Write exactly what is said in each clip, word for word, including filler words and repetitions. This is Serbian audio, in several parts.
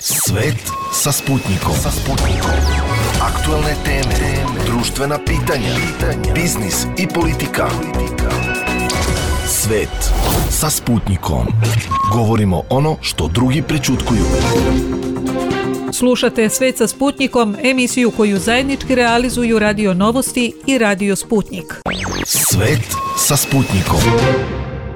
Svet sa Sputnikom. Sa Sputnikom. Aktuelne teme, društvena pitanja, biznis i politika. Svet sa Sputnikom. Govorimo ono što drugi prećutkuju. Slušate Svet sa Sputnikom, emisiju koju zajednički realizuju Radio Novosti i Radio Sputnik. Svet sa Sputnikom.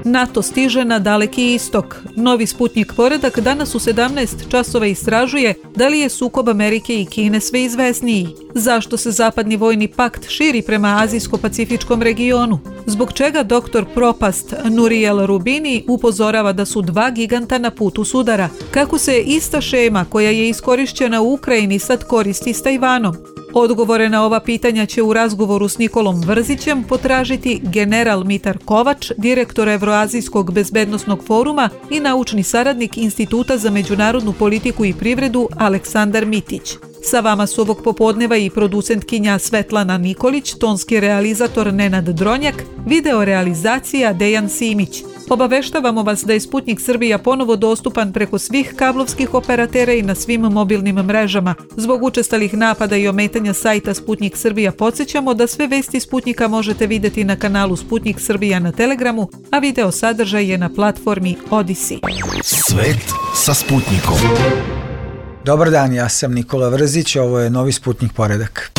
NATO stiže na Daleki istok. Novi Sputnik poredak danas u sedamnaest časova istražuje da li je sukob Amerike i Kine sve izvesniji. Zašto se zapadni vojni pakt širi prema azijsko-pacifičkom regionu? Zbog čega doktor Propast Nouriel Roubini upozorava da su dva giganta na putu sudara? Kako se ista šema koja je iskorišćena u Ukrajini sad koristi s Tajvanom? Odgovore na ova pitanja će u razgovoru s Nikolom Vrzićem potražiti general Mitar Kovač, direktor Evroazijskog bezbednosnog foruma i naučni saradnik Instituta za međunarodnu politiku i privredu Aleksandar Mitić. Sa vama su ovog popodneva i producentkinja Svetlana Nikolić, tonski realizator Nenad Dronjak, video realizacija Dejan Simić. Obaveštavamo vas da je Sputnik Srbija ponovo dostupan preko svih kablovskih operatera i na svim mobilnim mrežama. Zbog učestalih napada i ometanja sajta Sputnik Srbija podsjećamo da sve vesti Sputnika možete vidjeti na kanalu Sputnik Srbija na Telegramu, a video sadržaj je na platformi Odisi. Svet sa Sputnikom. Dobar dan, ja sam Nikola Vrzić, ovo je novi Sputnik poredak.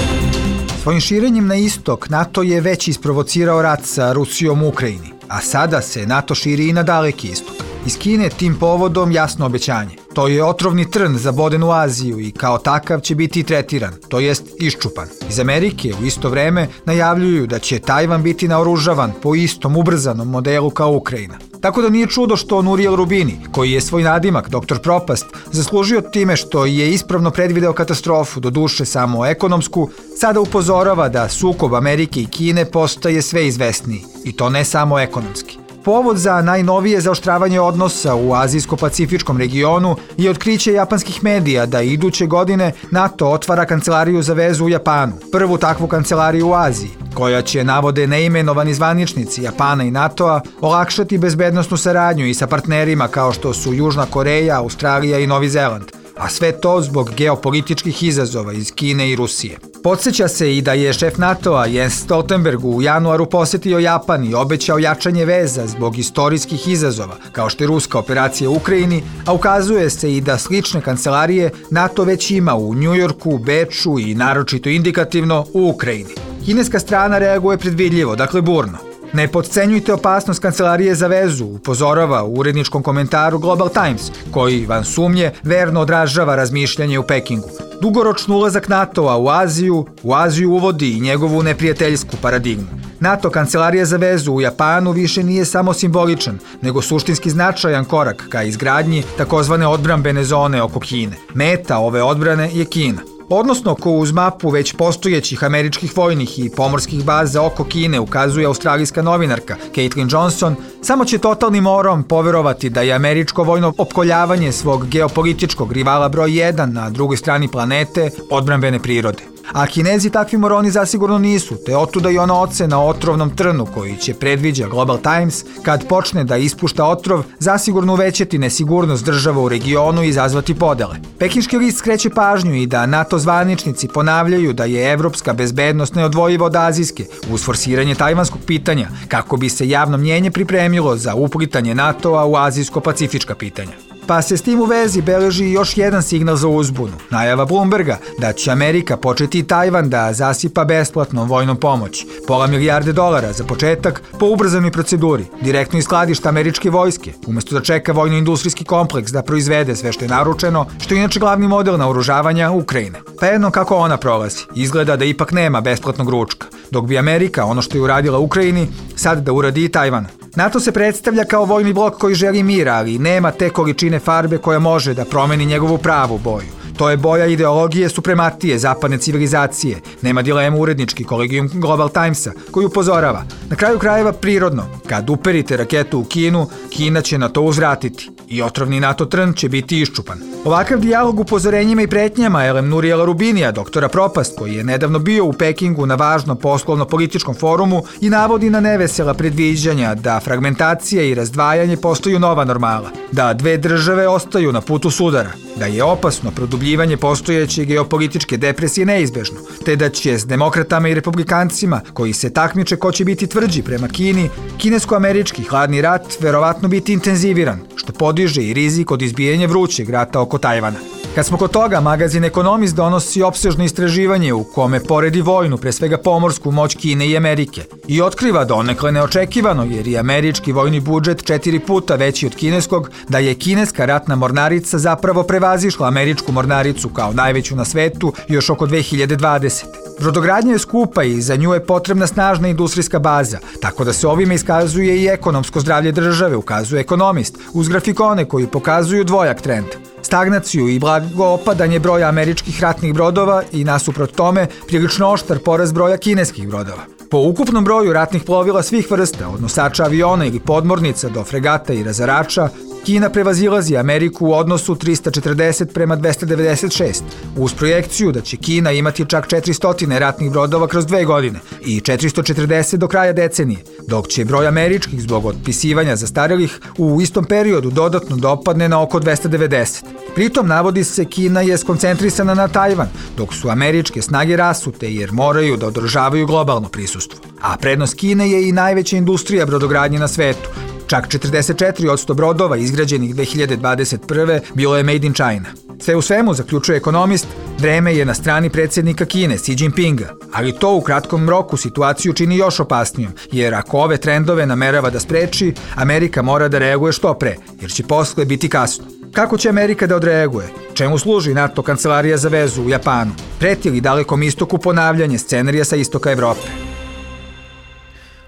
Svojim širenjem na istok, NATO je već isprovocirao rat sa Rusijom u Ukrajini, a sada se NATO širi i na Daleki istok. Iz Kine tim povodom jasno obećanje. To je otrovni trn zaboden u Aziju i kao takav će biti tretiran, to jest iščupan. Iz Amerike u isto vreme najavljuju da će Tajvan biti naoružavan po istom ubrzanom modelu kao Ukrajina. Tako da nije čudo što Nouriel Roubini, koji je svoj nadimak, doktor Propast, zaslužio time što je ispravno predvideo katastrofu, do duše samo ekonomsku, sada upozorava da sukob Amerike i Kine postaje sve izvesniji, i to ne samo ekonomski. Povod za najnovije zaoštravanje odnosa u azijsko-pacifičkom regionu je otkriće japanskih medija da iduće godine NATO otvara kancelariju za vezu u Japanu, prvu takvu kancelariju u Aziji, koja će, navode neimenovani zvaničnici Japana i NATO-a, olakšati bezbednosnu saradnju i sa partnerima kao što su Južna Koreja, Australija i Novi Zeland, a sve to zbog geopolitičkih izazova iz Kine i Rusije. Podsjeća se i da je šef NATO-a Jens Stoltenberg u januaru posjetio Japan i obećao jačanje veza zbog istorijskih izazova, kao što je ruska operacija u Ukrajini, a ukazuje se i da slične kancelarije NATO već ima u Njujorku, Beču i naročito indikativno u Ukrajini. Kineska strana reaguje predvidljivo, dakle burno. Ne potcenjujte opasnost kancelarije za vezu, upozorava u uredničkom komentaru Global Times, koji, van sumnje, verno odražava razmišljanje u Pekingu. Dugoročni ulazak NATO-a u Aziju, u Aziju uvodi i njegovu neprijateljsku paradigmu. NATO kancelarija za vezu u Japanu više nije samo simboličan, nego suštinski značajan korak ka izgradnji takozvane odbrambene zone oko Kine. Meta ove odbrane je Kina. Odnosno, ko uz mapu već postojećih američkih vojnih i pomorskih baza oko Kine ukazuje australijska novinarka Caitlin Johnson, samo će totalnim morom poverovati da je američko vojno opkoljavanje svog geopolitičkog rivala broj jedan na drugoj strani planete odbrambene prirode. A Kinezi takvi moroni zasigurno nisu, te otuda i ona ocena o otrovnom trnu koji će, predviđa Global Times, kad počne da ispušta otrov, zasigurno uvećati nesigurnost država u regionu i izazvati podele. Pekinški list skreće pažnju i da NATO zvaničnici ponavljaju da je evropska bezbednost neodvojiva od azijske uz forsiranje tajvanskog pitanja, kako bi se javno mnjenje pripremilo za uplitanje NATO-a u azijsko-pacifička pitanja. Pa se s tim u vezi beleži još jedan signal za uzbunu, najava Bloomberga da će Amerika početi i Tajvan da zasipa besplatnom vojnom pomoći, pola milijarde dolara za početak po ubrzanoj proceduri, direktno iz skladišta američke vojske, umjesto da čeka vojno-industrijski kompleks da proizvede sve što je naručeno, što je inače glavni model naoružavanja Ukrajine. Pa jedno kako ona prolazi, izgleda da ipak nema besplatnog ručka, dok bi Amerika, ono što je uradila Ukrajini, sad da uradi i Tajvanu. NATO se predstavlja kao vojni blok koji želi mir, ali nema te količine farbe koja može da promeni njegovu pravu boju. To je boja ideologije suprematije zapadne civilizacije. Nema dilemu urednički kolegijum Global Timesa koji upozorava. Na kraju krajeva prirodno, kad uperite raketu u Kinu, Kina će na to uzvratiti. i otrovni NATO trn će biti iščupan. Ovakav dijalog upozorenjima i pretnjama Elem Nurijela Rubinija, doktora Propast, koji je nedavno bio u Pekingu na važnom poslovno-političkom forumu i navodi na nevesela predviđanja da fragmentacija i razdvajanje postaju nova normala, da dve države ostaju na putu sudara, da je opasno produbljivanje postojeće geopolitičke depresije neizbežno, te da će s demokratama i republikancima, koji se takmiče ko će biti tvrđi prema Kini, kinesko-američki hladni rat verovatno biti intenziviran, što podiže i rizik od izbijanja vrućeg rata oko Tajvana. Kad smo kod toga, magazin Economist donosi opsežno istraživanje u kome poredi vojnu, pre svega pomorsku moć Kine i Amerike, i otkriva donekle neočekivano, jer je američki vojni budžet četiri puta veći od kineskog, da je kineska ratna mornarica zapravo prevazišla američku mornaricu kao najveću na svetu još oko dve hiljade dvadesete. Brodogradnja je skupa i za nju je potrebna snažna industrijska baza, tako da se ovime iskazuje i ekonomsko zdravlje države, ukazuje Economist, uz grafikone koji pokazuju dvojak trend. Stagnaciju i blago opadanje broja američkih ratnih brodova i nasuprot tome prilično oštar porast broja kineskih brodova. Po ukupnom broju ratnih plovila svih vrsta, od nosača aviona ili podmornica do fregata i razarača, Kina prevazilazi Ameriku u odnosu trista četrdeset prema dvesta devedeset šest, uz projekciju da će Kina imati čak četiristo ratnih brodova kroz dve godine i četiristo četrdeset do kraja decenije, dok će broj američkih zbog otpisivanja zastarelih u istom periodu dodatno dopadne na oko dvesta devedeset. Pritom navodi se Kina je skoncentrisana na Tajvan, dok su američke snage rasute jer moraju da održavaju globalno prisustvo. A prednost Kine je i najveća industrija brodogradnje na svetu. Čak četrdeset četiri posto brodova izgrađenih dve hiljade dvadeset prve bilo je made in China. Sve u svemu, zaključuje Economist, vreme je na strani predsjednika Kine, Xi Jinpinga, ali to u kratkom roku situaciju čini još opasnijom, jer ako ove trendove namerava da spreči, Amerika mora da reaguje što pre, jer će posle biti kasno. Kako će Amerika da odreaguje? Čemu služi NATO kancelarija za vezu u Japanu? Preti li Dalekom istoku ponavljanje scenarija sa istoka Evrope?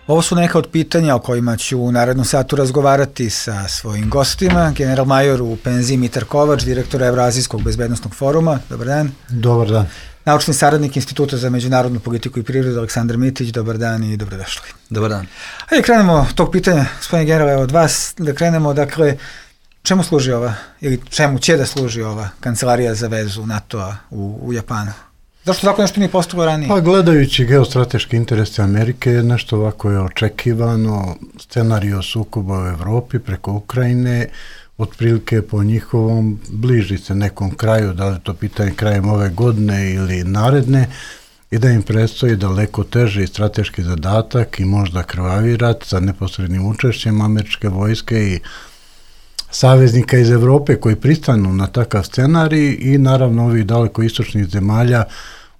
Ovo su neka od pitanja o kojima ću u narednom satu razgovarati sa svojim gostima, general major u penziji Mitar Kovač, direktor Evroazijskog bezbednostnog foruma. Dobar dan. Dobar dan. Naučni saradnik Instituta za međunarodnu politiku i prirodu Aleksandar Mitić. Dobar dan i dobrodošli. Dobar dan. Hajde krenemo tog pitanja, gospodine generale, od vas, da krenemo, dakle, čemu služi ova, ili čemu će da služi ova kancelarija za vezu NATO-a u, u Japanu? Zašto tako nešto nije postalo ranije? Pa gledajući geostrateški interese Amerike, nešto ovako je očekivano, scenario sukoba u Evropi preko Ukrajine, otprilike po njihovom bliži se nekom kraju, da li to pitanje krajem ove godine ili naredne, i da im predstoji daleko teži i strateški zadatak i možda krvavi rat sa neposrednim učešćem američke vojske i saveznika iz Evrope koji pristanu na takav scenarij i naravno ovih daleko istočnih zemalja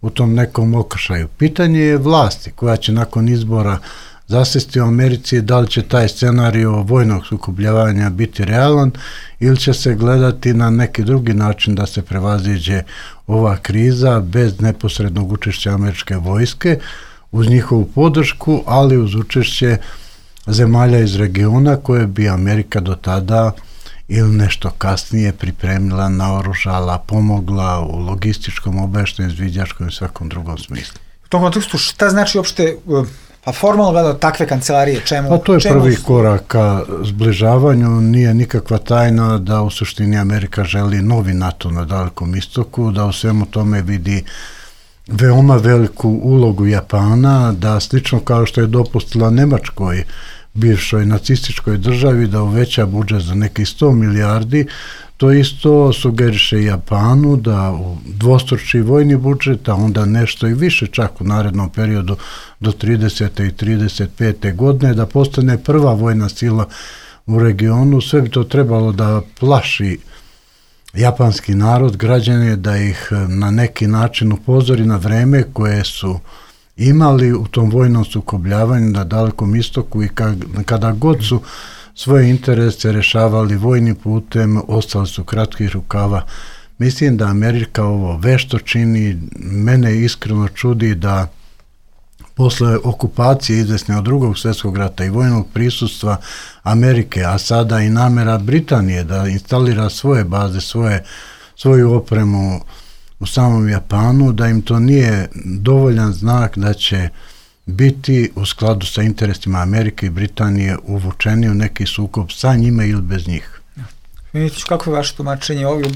u tom nekom okršaju. Pitanje je vlasti koja će nakon izbora zasesti u Americi, da li će taj scenario vojnog sukobljavanja biti realan ili će se gledati na neki drugi način da se prevaziđe ova kriza bez neposrednog učešća američke vojske, uz njihovu podršku, ali uz učešće zemalja iz regiona koje bi Amerika do tada ili nešto kasnije pripremila, naoružala, pomogla u logističkom, obaveštajnom, izviđačkom i svakom drugom smislu. U tom kontekstu, šta znači uopšte, pa formalno gledao takve kancelarije? Čemu, pa to je čemu prvi su... korak ka zbližavanju. Nije nikakva tajna da u suštini Amerika želi novi NATO na Dalekom istoku, da u svemu tome vidi veoma veliku ulogu Japana, da slično kao što je dopustila Nemačkoj, bivšoj nacističkoj državi, da uveća budžet za nekih sto milijardi, to isto sugeriše Japanu da u dvostruči vojni budžet, a onda nešto i više čak u narednom periodu do tridesete i trideset pete godine, da postane prva vojna sila u regionu. Sve bi to trebalo da plaši japanski narod, građane, da ih na neki način upozori na vreme koje su imali u tom vojnom sukobljavanju na Dalekom istoku i kada god su svoje interese rešavali vojnim putem, ostali su kratkih rukava. Mislim da Amerika ovo vešto čini. Mene iskreno čudi da posle okupacije izvesne od drugog svjetskog rata i vojnog prisustva Amerike, a sada i namera Britanije da instalira svoje baze, svoje, svoju opremu u samom Japanu, da im to nije dovoljan znak da će biti u skladu sa interesima Amerike i Britanije uvučeni u neki sukob sa njima ili bez njih. Mimitić, kako je vaše tumačenje ovdje?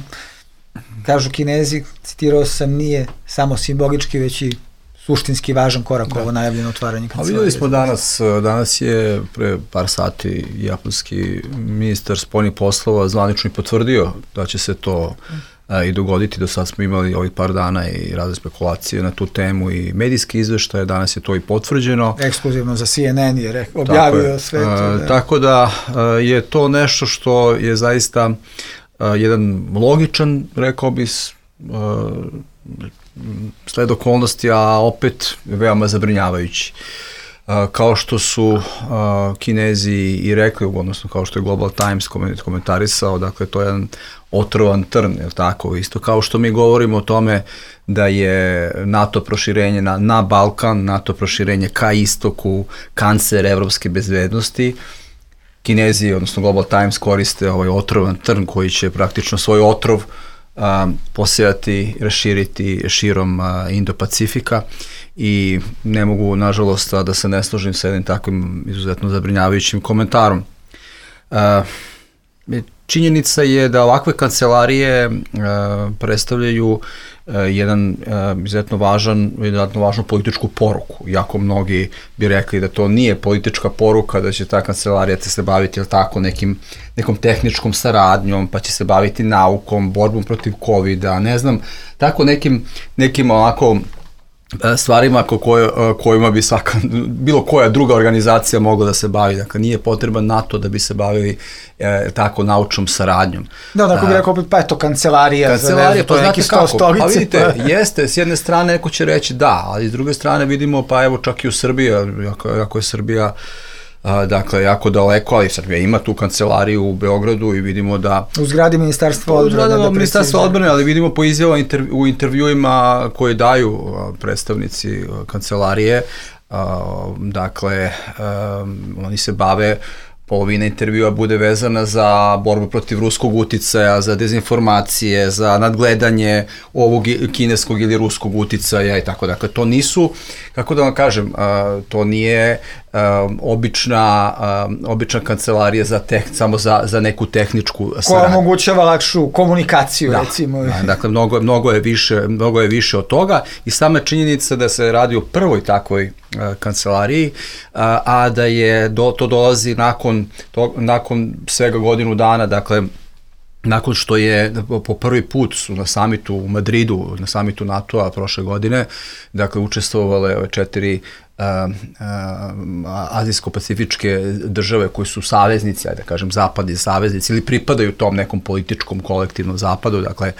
Kažu Kinezi, citirao sam, nije samo simbolički, već i suštinski važan korak da. Ovo najavljeno otvaranje kancelarije. A vidjeli smo danas, danas je pre par sati japanski ministar spoljnih poslova zvanično i potvrdio da će se to a, i dogoditi. Do sad smo imali ovih par dana i razne spekulacije na tu temu i medijski izveštaje, danas je to i potvrđeno. Ekskluzivno za C N N je re, objavio tako sve to. A, da. Tako da a, je to nešto što je zaista a, jedan logičan, rekao bi, a, sled okolnosti, a opet veoma zabrinjavajući. Kao što su Kinezi i rekli, odnosno kao što je Global Times komentarisao, dakle to je jedan otrovan trn, je li tako? Isto kao što mi govorimo o tome da je NATO proširenje na, na Balkan, NATO proširenje ka istoku, kancer evropske bezbednosti, Kinezi, odnosno Global Times koriste ovaj otrovan trn koji će praktično svoj otrov Um, posejati, raširiti širom uh, Indo-Pacifika i ne mogu, nažalost, da se ne složim sa jednim takvim izuzetno zabrinjavajućim komentarom. Uh, činjenica je da ovakve kancelarije uh, predstavljaju uh, jedan uh, izuzetno važan, izuzetno važnu političku poruku. Iako mnogi bi rekli da to nije politička poruka, da će ta kancelarija se baviti, jel tako, nekim nekom tehničkom saradnjom, pa će se baviti naukom, borbom protiv kovida, ne znam, tako nekim, nekim ovako stvarima ko koje, kojima bi svaka, bilo koja druga organizacija mogla da se bavi. Dakle, nije potreban NATO da bi se bavili e, tako naučnom saradnjom. Da, tako bi rekao, pa je to kancelarija. Kancelarija, pa znate kako, stolice, pa vidite, pa... jeste, s jedne strane neko će reći da, ali s druge strane vidimo, pa evo čak i u Srbiji, ako, ako je Srbija A, dakle, jako daleko, ali Srbija ima tu kancelariju u Beogradu i vidimo da... U zgradi Ministarstva odbrane. U zgradi da Ministarstva odbrane, ali vidimo po izjavama intervju, u intervjuima koje daju a, predstavnici a, kancelarije, a, dakle, a, oni se bave, polovina intervjua bude vezana za borbu protiv ruskog uticaja, za dezinformacije, za nadgledanje ovog kineskog ili ruskog uticaja i tako. Dakle, to nisu, kako da vam kažem, to nije obična, obična kancelarija za tek, samo za, za neku tehničku saradnju. Koja omogućava lakšu komunikaciju, da, recimo. Da, dakle, mnogo, mnogo, je više, mnogo je više od toga i sama činjenica da se radi o prvoj takvoj kancelariji, a, a da je do, to dolazi nakon, to, nakon svega godinu dana, dakle, nakon što je po prvi put su na samitu u Madridu, na samitu NATO-a prošle godine, dakle, učestvovale ove četiri uh, uh, azijsko-pacifičke države koji su saveznici, ajde da kažem, zapadni saveznici ili pripadaju tom nekom političkom kolektivnom zapadu, dakle,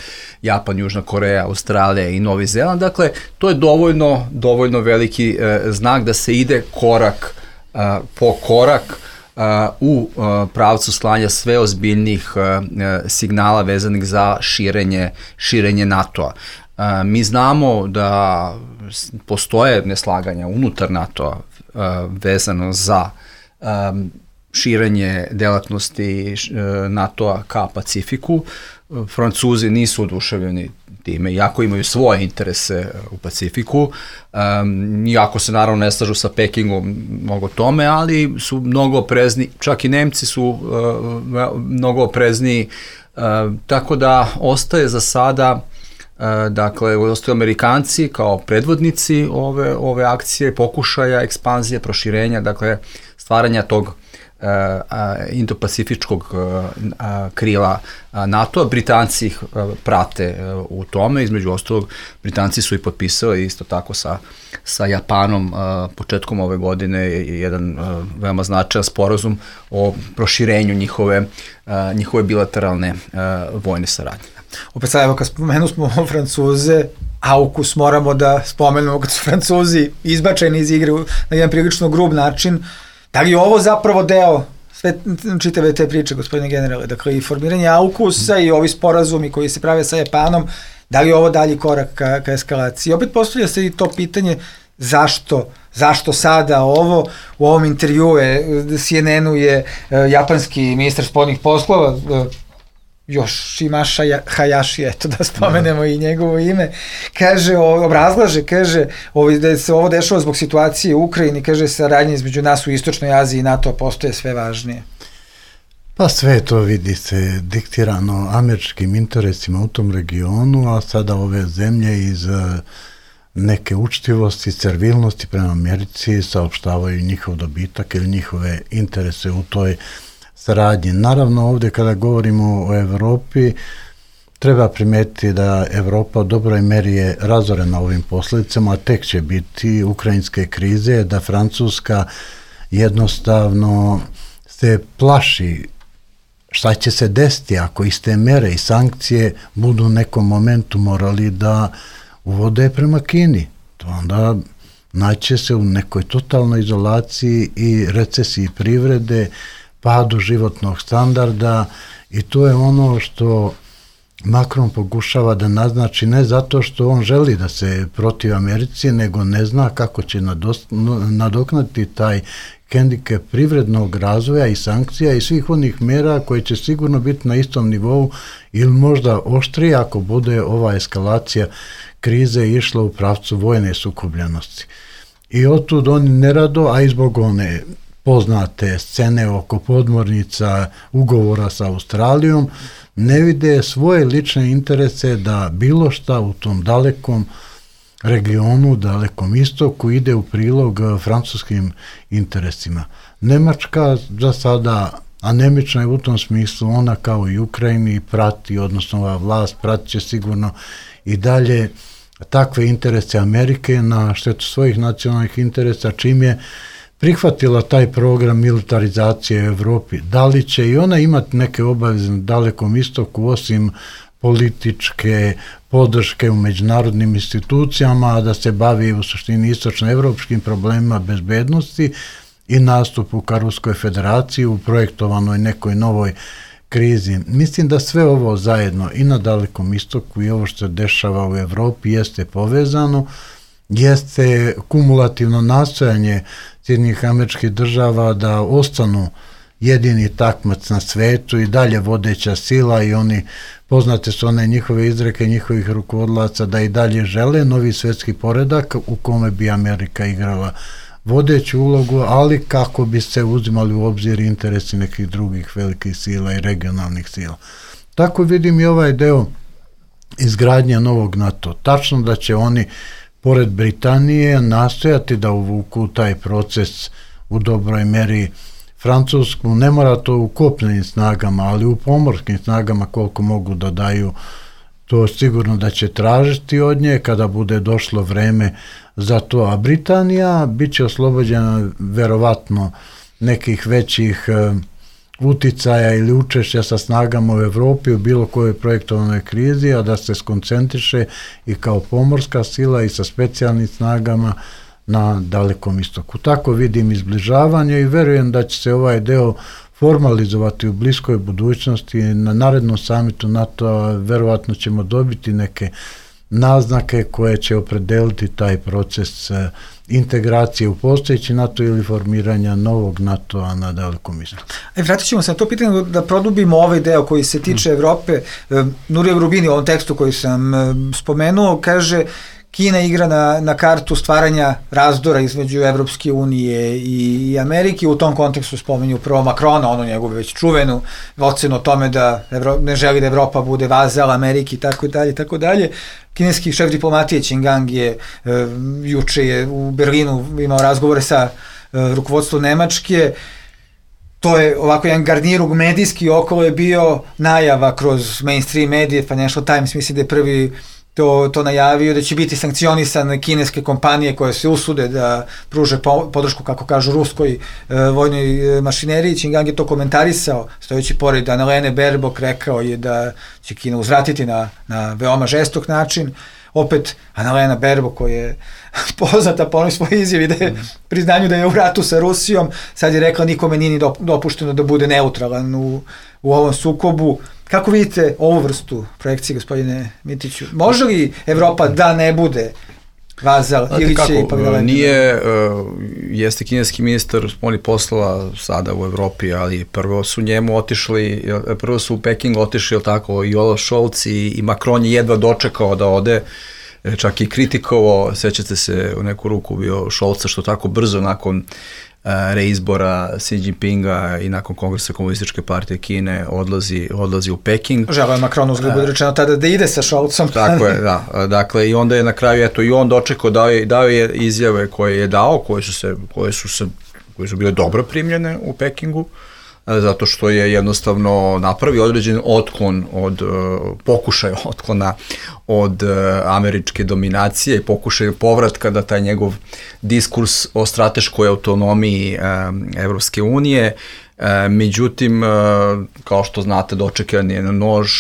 Japan, Južna Koreja, Australija i Novi Zeland, dakle, to je dovoljno, dovoljno veliki uh, znak da se ide korak uh, po korak Uh, u uh, pravcu slanja sve ozbiljnih uh, signala vezanih za širenje, širenje NATO-a. Uh, mi znamo da postoje neslaganja unutar NATO-a uh, vezano za um, širenje delatnosti uh, NATO-a ka Pacifiku. Uh, Francuzi nisu oduševljeni time, iako imaju svoje interese u Pacifiku, um, iako se naravno ne slažu sa Pekingom mnogo tome, ali su mnogo oprezni, čak i Nemci su uh, mnogo oprezniji, uh, tako da ostaje za sada, uh, dakle, ostaju Amerikanci kao predvodnici ove, ove akcije, pokušaja, ekspanzije, proširenja, dakle, stvaranja tog Uh, uh, Indo-pacifičkog uh, uh, krila uh, NATO-a. Britanci ih uh, prate uh, u tome, između ostalog Britanci su i potpisali isto tako sa, sa Japanom uh, početkom ove godine jedan uh, veoma značajan sporazum o proširenju njihove, uh, njihove bilateralne uh, vojne saradnje. Opet sad, evo, kad spomenu smo Francuze, AUKUS moramo da spomenemo kad su Francuzi izbačeni iz igre na jedan prilično grub način. Da li je ovo zapravo deo sve čitave te priče, gospodine generale? Dakle, i formiranje AUKUS-a i ovi sporazumi koji se prave sa Japanom, da li je ovo dalji korak ka, ka eskalaciji? Opet postavlja se i to pitanje zašto, zašto sada ovo? U ovom intervju C N N-u je uh, japanski ministar spoljnih poslova, uh, Yoshimasa Hayashi, eto da spomenemo i njegovo ime, kaže, obrazlaže, kaže, da se ovo dešava zbog situacije u Ukrajini, kaže, saradnje između nas u Istočnoj Aziji i NATO postoje sve važnije. Pa sve to vidi se diktirano američkim interesima u tom regionu, a sada ove zemlje iz neke učtivosti, servilnosti prema Americi saopštavaju njihov dobitak ili njihove interese u toj saradnji. Naravno, ovdje kada govorimo o Evropi, treba primetiti da Evropa u dobroj meri je razorena ovim posljedicama, a tek će biti ukrajinske krize, da Francuska jednostavno se plaši šta će se desiti ako iste mere i sankcije budu u nekom momentu morali da uvode prema Kini. To onda naće se u nekoj totalnoj izolaciji i recesiji privrede, padu životnog standarda, i to je ono što Macron pokušava da naznači, ne zato što on želi da se protiv Americi, nego ne zna kako će nadoknati taj hendikep privrednog razvoja i sankcija i svih onih mera koje će sigurno biti na istom nivou ili možda oštrije ako bude ova eskalacija krize išla u pravcu vojne sukobljenosti. I otud oni nerado, a i zbog one poznate scene oko podmornica, ugovora sa Australijom, ne vide svoje lične interese da bilo šta u tom dalekom regionu, dalekom istoku ide u prilog francuskim interesima. Nemačka za sada anemična je u tom smislu, ona kao i Ukrajini prati, odnosno ova vlast pratit će sigurno i dalje takve interese Amerike na štetu svojih nacionalnih interesa, čim je prihvatila taj program militarizacije u Evropi. Da li će i ona imati neke obaveze na dalekom istoku osim političke podrške u međunarodnim institucijama, a da se bavi u suštini istočnoevropskim problemima bezbednosti i nastupu ka Ruskoj federaciji u projektovanoj nekoj novoj krizi. Mislim da sve ovo zajedno i na dalekom istoku i ovo što se dešava u Evropi jeste povezano, jeste kumulativno nastojanje Sjedinjenih Američkih Država da ostanu jedini takmac na svetu i dalje vodeća sila, i oni, poznate su one njihove izreke njihovih rukovodlaca da i dalje žele novi svetski poredak u kome bi Amerika igrala vodeću ulogu, ali kako bi se uzimali u obzir interesi nekih drugih velikih sila i regionalnih sila. Tako vidim i ovaj deo izgradnje novog NATO. Tačno da će oni pored Britanije nastojati da uvuku taj proces u dobroj meri Francusku, ne mora to u kopnenim snagama, ali u pomorskim snagama koliko mogu da daju, to sigurno da će tražiti od nje kada bude došlo vreme za to. A Britanija bit će oslobođena verovatno nekih većih uticaja ili učešća sa snagama u Evropi u bilo kojoj projektovanoj krizi, a da se skoncentriše i kao pomorska sila i sa specijalnim snagama na dalekom istoku. Tako vidim izbližavanje i verujem da će se ovaj deo formalizovati u bliskoj budućnosti. Na narednom samitu NATO-a verovatno ćemo dobiti neke naznake koje će opredeliti taj proces integracije u postojeći NATO ili formiranja novog NATO-a na dalekom istoku. E, vratit ćemo se na to pitanje da produbimo ovaj deo koji se tiče Evrope. Nurija Rubini u ovom tekstu koji sam spomenuo kaže: Kina igra na, na kartu stvaranja razdora između Evropske unije i, i Amerike. U tom kontekstu spominju prvo Macrona, ono njegovu već čuvenu ocenu o tome da Evro, ne želi da Evropa bude vazal Amerike i tako dalje, tako dalje. Kineski šef diplomatije Qin Gang je e, juče je u Berlinu imao razgovore sa e, rukovodstvom Nemačke. To je ovako jedan garnirug medijski, okolo je bio najava kroz mainstream medije, Financial Times mislim da je prvi To, to najavio, da će biti sankcionisane kineske kompanije koje se usude da pruže podršku, kako kažu, ruskoj e, vojnoj e, mašineriji. Qin Gang je to komentarisao, stojeći pored Annalene Baerbock, rekao je da će Kina uzvratiti na, na veoma žestok način. Opet, Annalena Baerbock, koja je poznata po onoj svojoj izjavi da je priznanju da je u ratu sa Rusijom, sad je rekla nikome nije ni dopušteno da bude neutralan u, u ovom sukobu. Kako vidite ovu vrstu projekcije, gospodine Mitiću? Može li Evropa da ne bude vazal ili će ipak da nije, uh, jeste kineski ministar spoljnih poslova sada u Evropi, ali prvo su njemu otišli, prvo su u Peking otišli, tako, i Olaf Scholz i, i Macron je jedva dočekao da ode, čak i kritikovao, sećate se, u neku ruku bio Scholza što tako brzo nakon reizbora Xi Jinpinga i nakon kongresa Komunističke partije Kine odlazi, odlazi u Peking. Želeo je Macron, uzgled bude rečeno tada da ide sa Scholzom. Tako je, da. Dakle, i onda je na kraju, eto, i on dočekao, dao je, dao je izjave koje je dao, koje su se, koje su se, koje su bile dobro primljene u Pekingu, zato što je jednostavno napravio određen otklon od, pokušaj otklona od američke dominacije i pokušaj povratka da taj njegov diskurs o strateškoj autonomiji Evropske unije, međutim, kao što znate, dočekan je na nož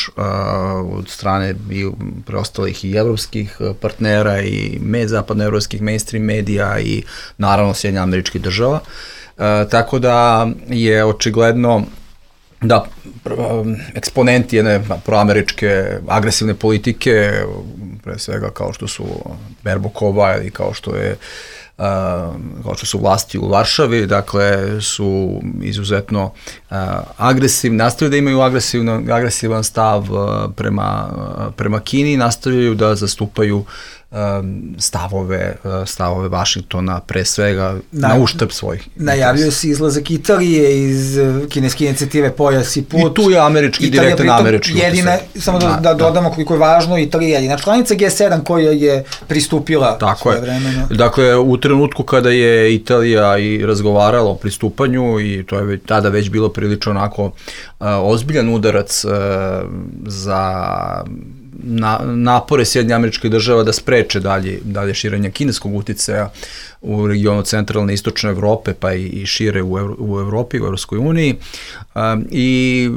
od strane i preostalih i evropskih partnera i med, zapadnoevropskih mainstream medija i naravno Sjedinjenih Američkih Država. E, tako da je očigledno da eksponenti jedne proameričke agresivne politike, pre svega kao što su Berbokova ili kao što je Uh, kao što su vlasti u Varšavi, dakle su izuzetno uh, agresivni, nastavljaju da imaju agresivan stav uh, prema, uh, prema Kini, nastavljaju da zastupaju stavove, stavove Vašingtona, pre svega na, na uštrb svojih. Najavljuje se izlazak Italije iz kineske inicijative Pojas i put. I tu je američki, direktan američki. Jedina, samo da, da dodamo koliko je važno, Italija je jedina članica G sedam koja je pristupila svoje vremeno. Dakle, u trenutku kada je Italija i razgovarala o pristupanju, i to je tada već bilo prilično onako uh, ozbiljan udarac uh, za Na, napore Sjedinjenih Američkih Država da spreče dalje, dalje širenje kineskog uticaja u regionu centralne i istočne Evrope, pa i, i šire u, Evro, u Evropi, u Evropskoj uniji. Um, I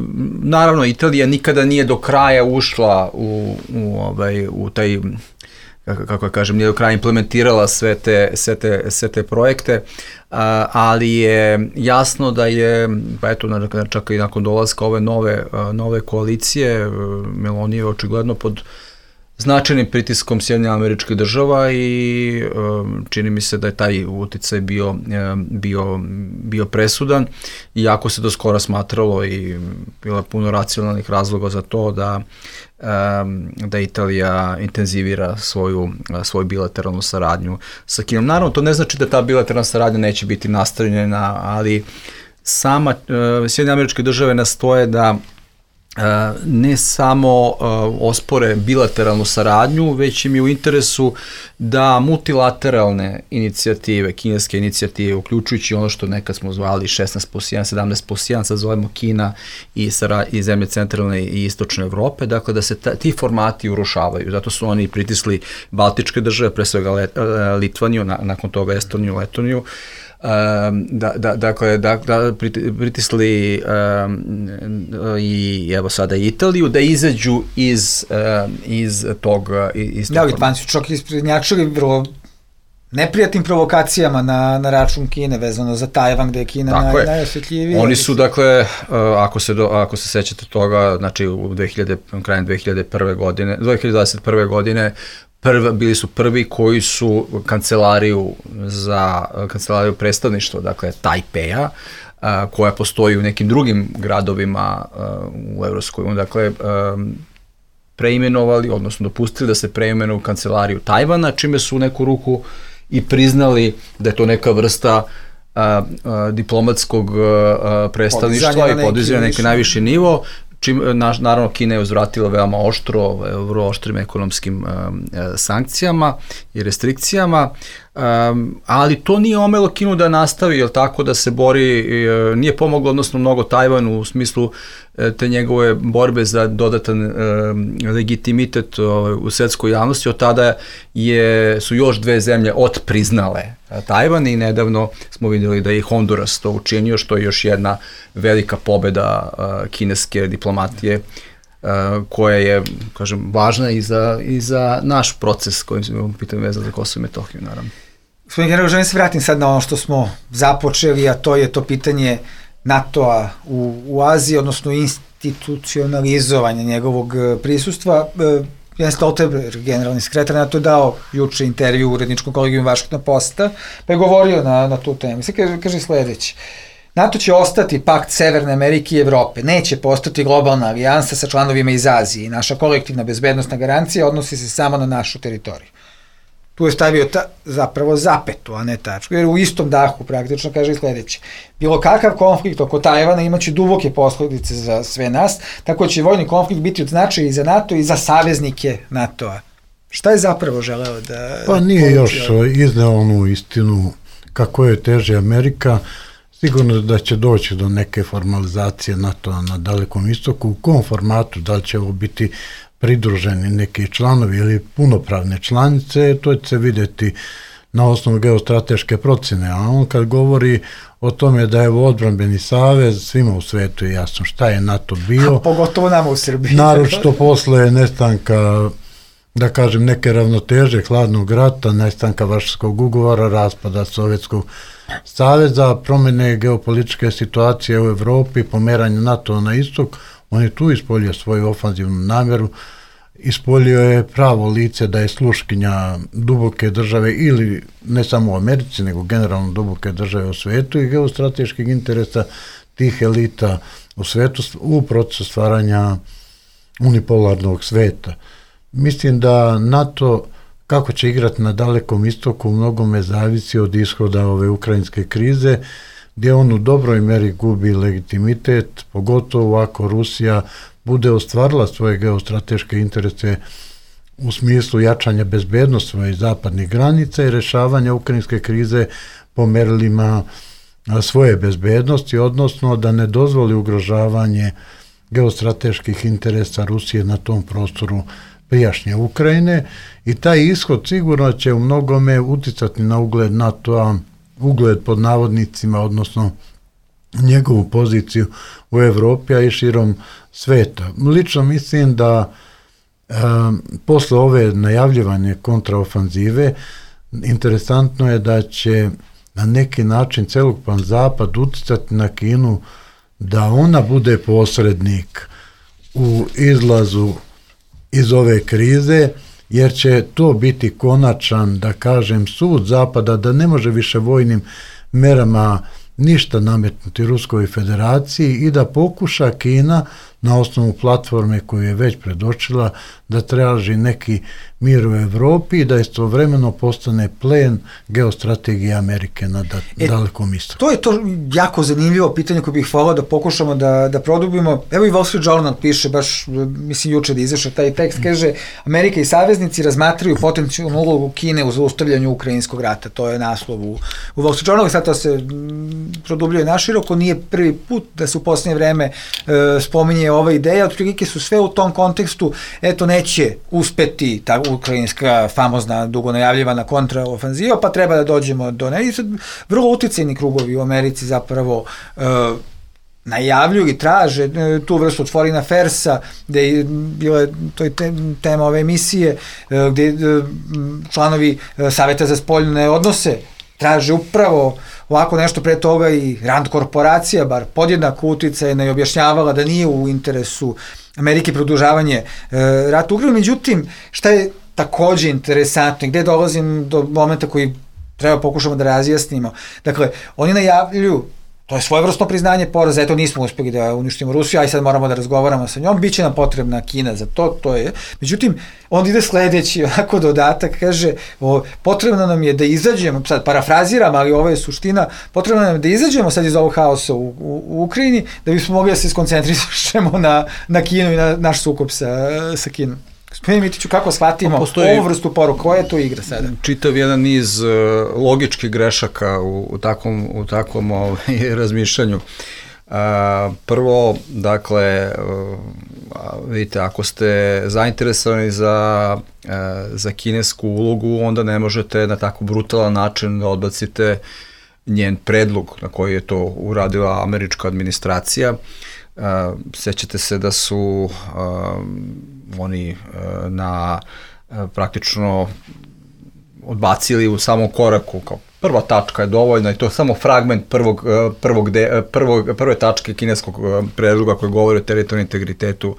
naravno, Italija nikada nije do kraja ušla u, u, ovaj, u taj, kako, kako kažem, nije do kraja implementirala sve te, sve te, sve te projekte, uh, ali je jasno da je, pa eto, čak i nakon dolaska ove nove, uh, nove koalicije, uh, Meloni je očigledno pod značajnim pritiskom Sjedinjenih Američkih Država i um, čini mi se da je taj uticaj bio, um, bio, bio presudan, iako se do skora smatralo i bilo je puno racionalnih razloga za to da um, da Italija intenzivira svoju, svoju bilateralnu saradnju sa Kinom. Naravno, to ne znači da ta bilateralna saradnja neće biti nastavljena, ali sama uh, Sjedinjene Američke Države nastoje da Uh, ne samo uh, ospore bilateralnu saradnju, već im je u interesu da multilateralne inicijative, kineske inicijative, uključujući ono što nekad smo zvali šesnaest plus jedan, sedamnaest plus jedan, sad zovemo Kina i, i zemlje centralne i istočne Evrope, dakle da se ta, ti formati urušavaju. Zato su oni pritisli Baltičke države, pre svega Let, uh, Litvaniju, na, nakon toga Estoniju, Letoniju, Um, da, da, dakle, da, da pritisli um, i evo sada Italiju da izađu iz, um, iz tog iz da, Litvanci su čak isprednjačili vrlo neprijatnim provokacijama na, na račun Kine vezano za Tajvan, gde je Kina naj, najosjetljivija. Oni su, dakle, uh, ako, se do, ako se sećate toga, znači u dve hiljade, krajem dve hiljade prve godine, dve hiljade dvadeset prve godine Prva, bili su prvi koji su kancelariju za kancelariju predstavništva, dakle Tajpeja, a, koja postoji u nekim drugim gradovima a, u Evropskoj uniji, dakle a, preimenovali, odnosno dopustili da se preimenuju kancelariju Tajvana, čime su u neku ruku i priznali da je to neka vrsta a, a, diplomatskog a, predstavništva i podizanja na neki najviši nivo. Čim, na, naravno, Kina je uzvratila veoma oštro, vrlo oštrim ekonomskim um, sankcijama i restrikcijama, um, ali to nije omelo Kinu da nastavi, jel tako, da se bori, uh, nije pomoglo, odnosno mnogo Tajvanu u smislu uh, te njegove borbe za dodatan uh, legitimitet uh, u svetskoj javnosti. Od tada je, su još dve zemlje otpriznale uh, Tajvan i nedavno smo vidjeli da je Honduras to učinio, što je još jedna velika pobeda uh, kineske diplomatije uh, koja je, kažem, važna i za, i za naš proces kojim se pitanje vezano za Kosovo i Metohiju, naravno. Gospodin general, želim se vratim sad na ono što smo započeli, a to je to pitanje NATO-a u, u Aziji, odnosno institucionalizovanja njegovog prisustva. Jens Stoltenberg, generalni sekretar NATO, je dao juče intervju u uredničkom kolegiju Washington Posta, pa je govorio na, na tu temu. Sad kaže, kaže sledeće. NATO će ostati pakt Severne Amerike i Evrope, neće postati globalna alijansa sa članovima iz Azije i naša kolektivna bezbednostna garancija odnosi se samo na našu teritoriju. tu je stavio ta, zapravo zapetu, a ne tačku, jer u istom dahu praktično kaže i sledeće. Bilo kakav konflikt oko Tajvana imaće duboke posledice za sve nas, tako će vojni konflikt biti od značaja i za NATO i za saveznike NATO-a. Šta je zapravo želeo da... Pa nije još izneo onu istinu kako je teže Amerika, sigurno da će doći do neke formalizacije NATO-a na Dalekom istoku, u kom formatu, da li će ovo biti pridruženi neki članovi ili punopravne članice, to će se vidjeti na osnovu geostrateške procjene, a on kad govori o tome da je odbrambeni savez, svima u svetu je jasno šta je NATO bio. A pogotovo nama u Srbiji. Naročito posle nestanka, da kažem, neke ravnoteže hladnog rata, nestanka Varšavskog ugovora, raspada Sovjetskog saveza, promjene geopolitičke situacije u Evropi, pomeranje NATO na istok, on je tu ispolio svoju ofanzivnu namjeru, ispolio je pravo lice da je sluškinja duboke države ili ne samo u Americi, nego generalno duboke države u svetu i geostrateških interesa tih elita u svetu u procesu stvaranja unipolarnog sveta. Mislim da NATO, kako će igrati na Dalekom istoku, mnogome zavisi od ishoda ove ukrajinske krize, gdje on u dobroj meri gubi legitimitet, pogotovo ako Rusija bude ostvarila svoje geostrateške interese u smislu jačanja bezbednosti svojih zapadnih granica i rešavanja ukrajinske krize po merilima svoje bezbednosti, odnosno da ne dozvoli ugrožavanje geostrateških interesa Rusije na tom prostoru prijašnje Ukrajine i taj ishod sigurno će u mnogome uticati na ugled NATO-a, ugled pod navodnicima, odnosno njegovu poziciju u Evropi, a i širom sveta. Lično mislim da e, posle ove najavljivanje kontraofanzive interesantno je da će na neki način celokupan zapad uticati na Kinu da ona bude posrednik u izlazu iz ove krize, jer će to biti konačan, da kažem, sud Zapada da ne može više vojnim merama ništa nametnuti Ruskoj federaciji i da pokuša Kina na osnovu platforme koju je već predočila da traži neki mir u Evropi i da istovremeno postane plen geostrategije Amerike na da, e, Dalekom istoku. To je to jako zanimljivo pitanje koje bih volao da pokušamo da, da produbimo. Evo i Wall Street Journal piše, baš mislim juče da izašao taj tekst, kaže Amerika i saveznici razmatraju potencijalnu ulogu Kine u zaustavljanju ukrajinskog rata. To je naslov u, u Wall Street Journalu, sad to se produbljuje naširoko, nije prvi put da se u posljednje vreme e, spominje ova ideja, otprilike su sve u tom kontekstu, eto neće uspeti ta ukrajinska famozna dugo najavljivana kontraofanziva, pa treba da dođemo do ne. I sad vrlo uticajni krugovi u Americi zapravo e, najavljuju i traže e, tu vrstu od Foreign Affairsa, gde je bila to je te, tema ove emisije, e, gde e, članovi e, Saveta za spoljne odnose traže upravo ovako nešto pre toga i Rand korporacija, bar podjednako uticajna i objašnjavala da nije u interesu Amerike produžavanje e, rata u Ukrajini. Međutim, šta je takođe interesantno i gde dolazim do momenta koji treba pokušamo da razjasnimo. Dakle, oni najavljuju, to je svojevrsno priznanje poraza, eto nismo uspeli da uništimo Rusiju, aj sad moramo da razgovaramo sa njom, bit će nam potrebna Kina za to, to je. Međutim, on ide sledeći onako dodatak, kaže, o, potrebno nam je da izađemo, sad parafraziram, ali ovo je suština, potrebno nam je da izađemo sad iz ovog haosa u, u, u Ukrajini, da bismo mogli da se skoncentrišemo na, na Kinu i na naš sukob sa, sa Kinom. Gospodine Mitiću, kako shvatimo postoji ovu vrstu poruka? Koja je to igra sada? Čitav jedan niz uh, logičkih grešaka u, u takvom, u takvom ovaj, razmišljanju. Uh, prvo, dakle, uh, vidite, ako ste zainteresovani za, uh, za kinesku ulogu, onda ne možete na tako brutalan način da odbacite njen predlog na koji je to uradila američka administracija. Uh, sećate se da su uh, oni na praktično odbacili u samom koraku, kao prva tačka je dovoljna i to je samo fragment prvog, prvog de, prvog, prve tačke kineskog predloga koji govori o teritorijalnom integritetu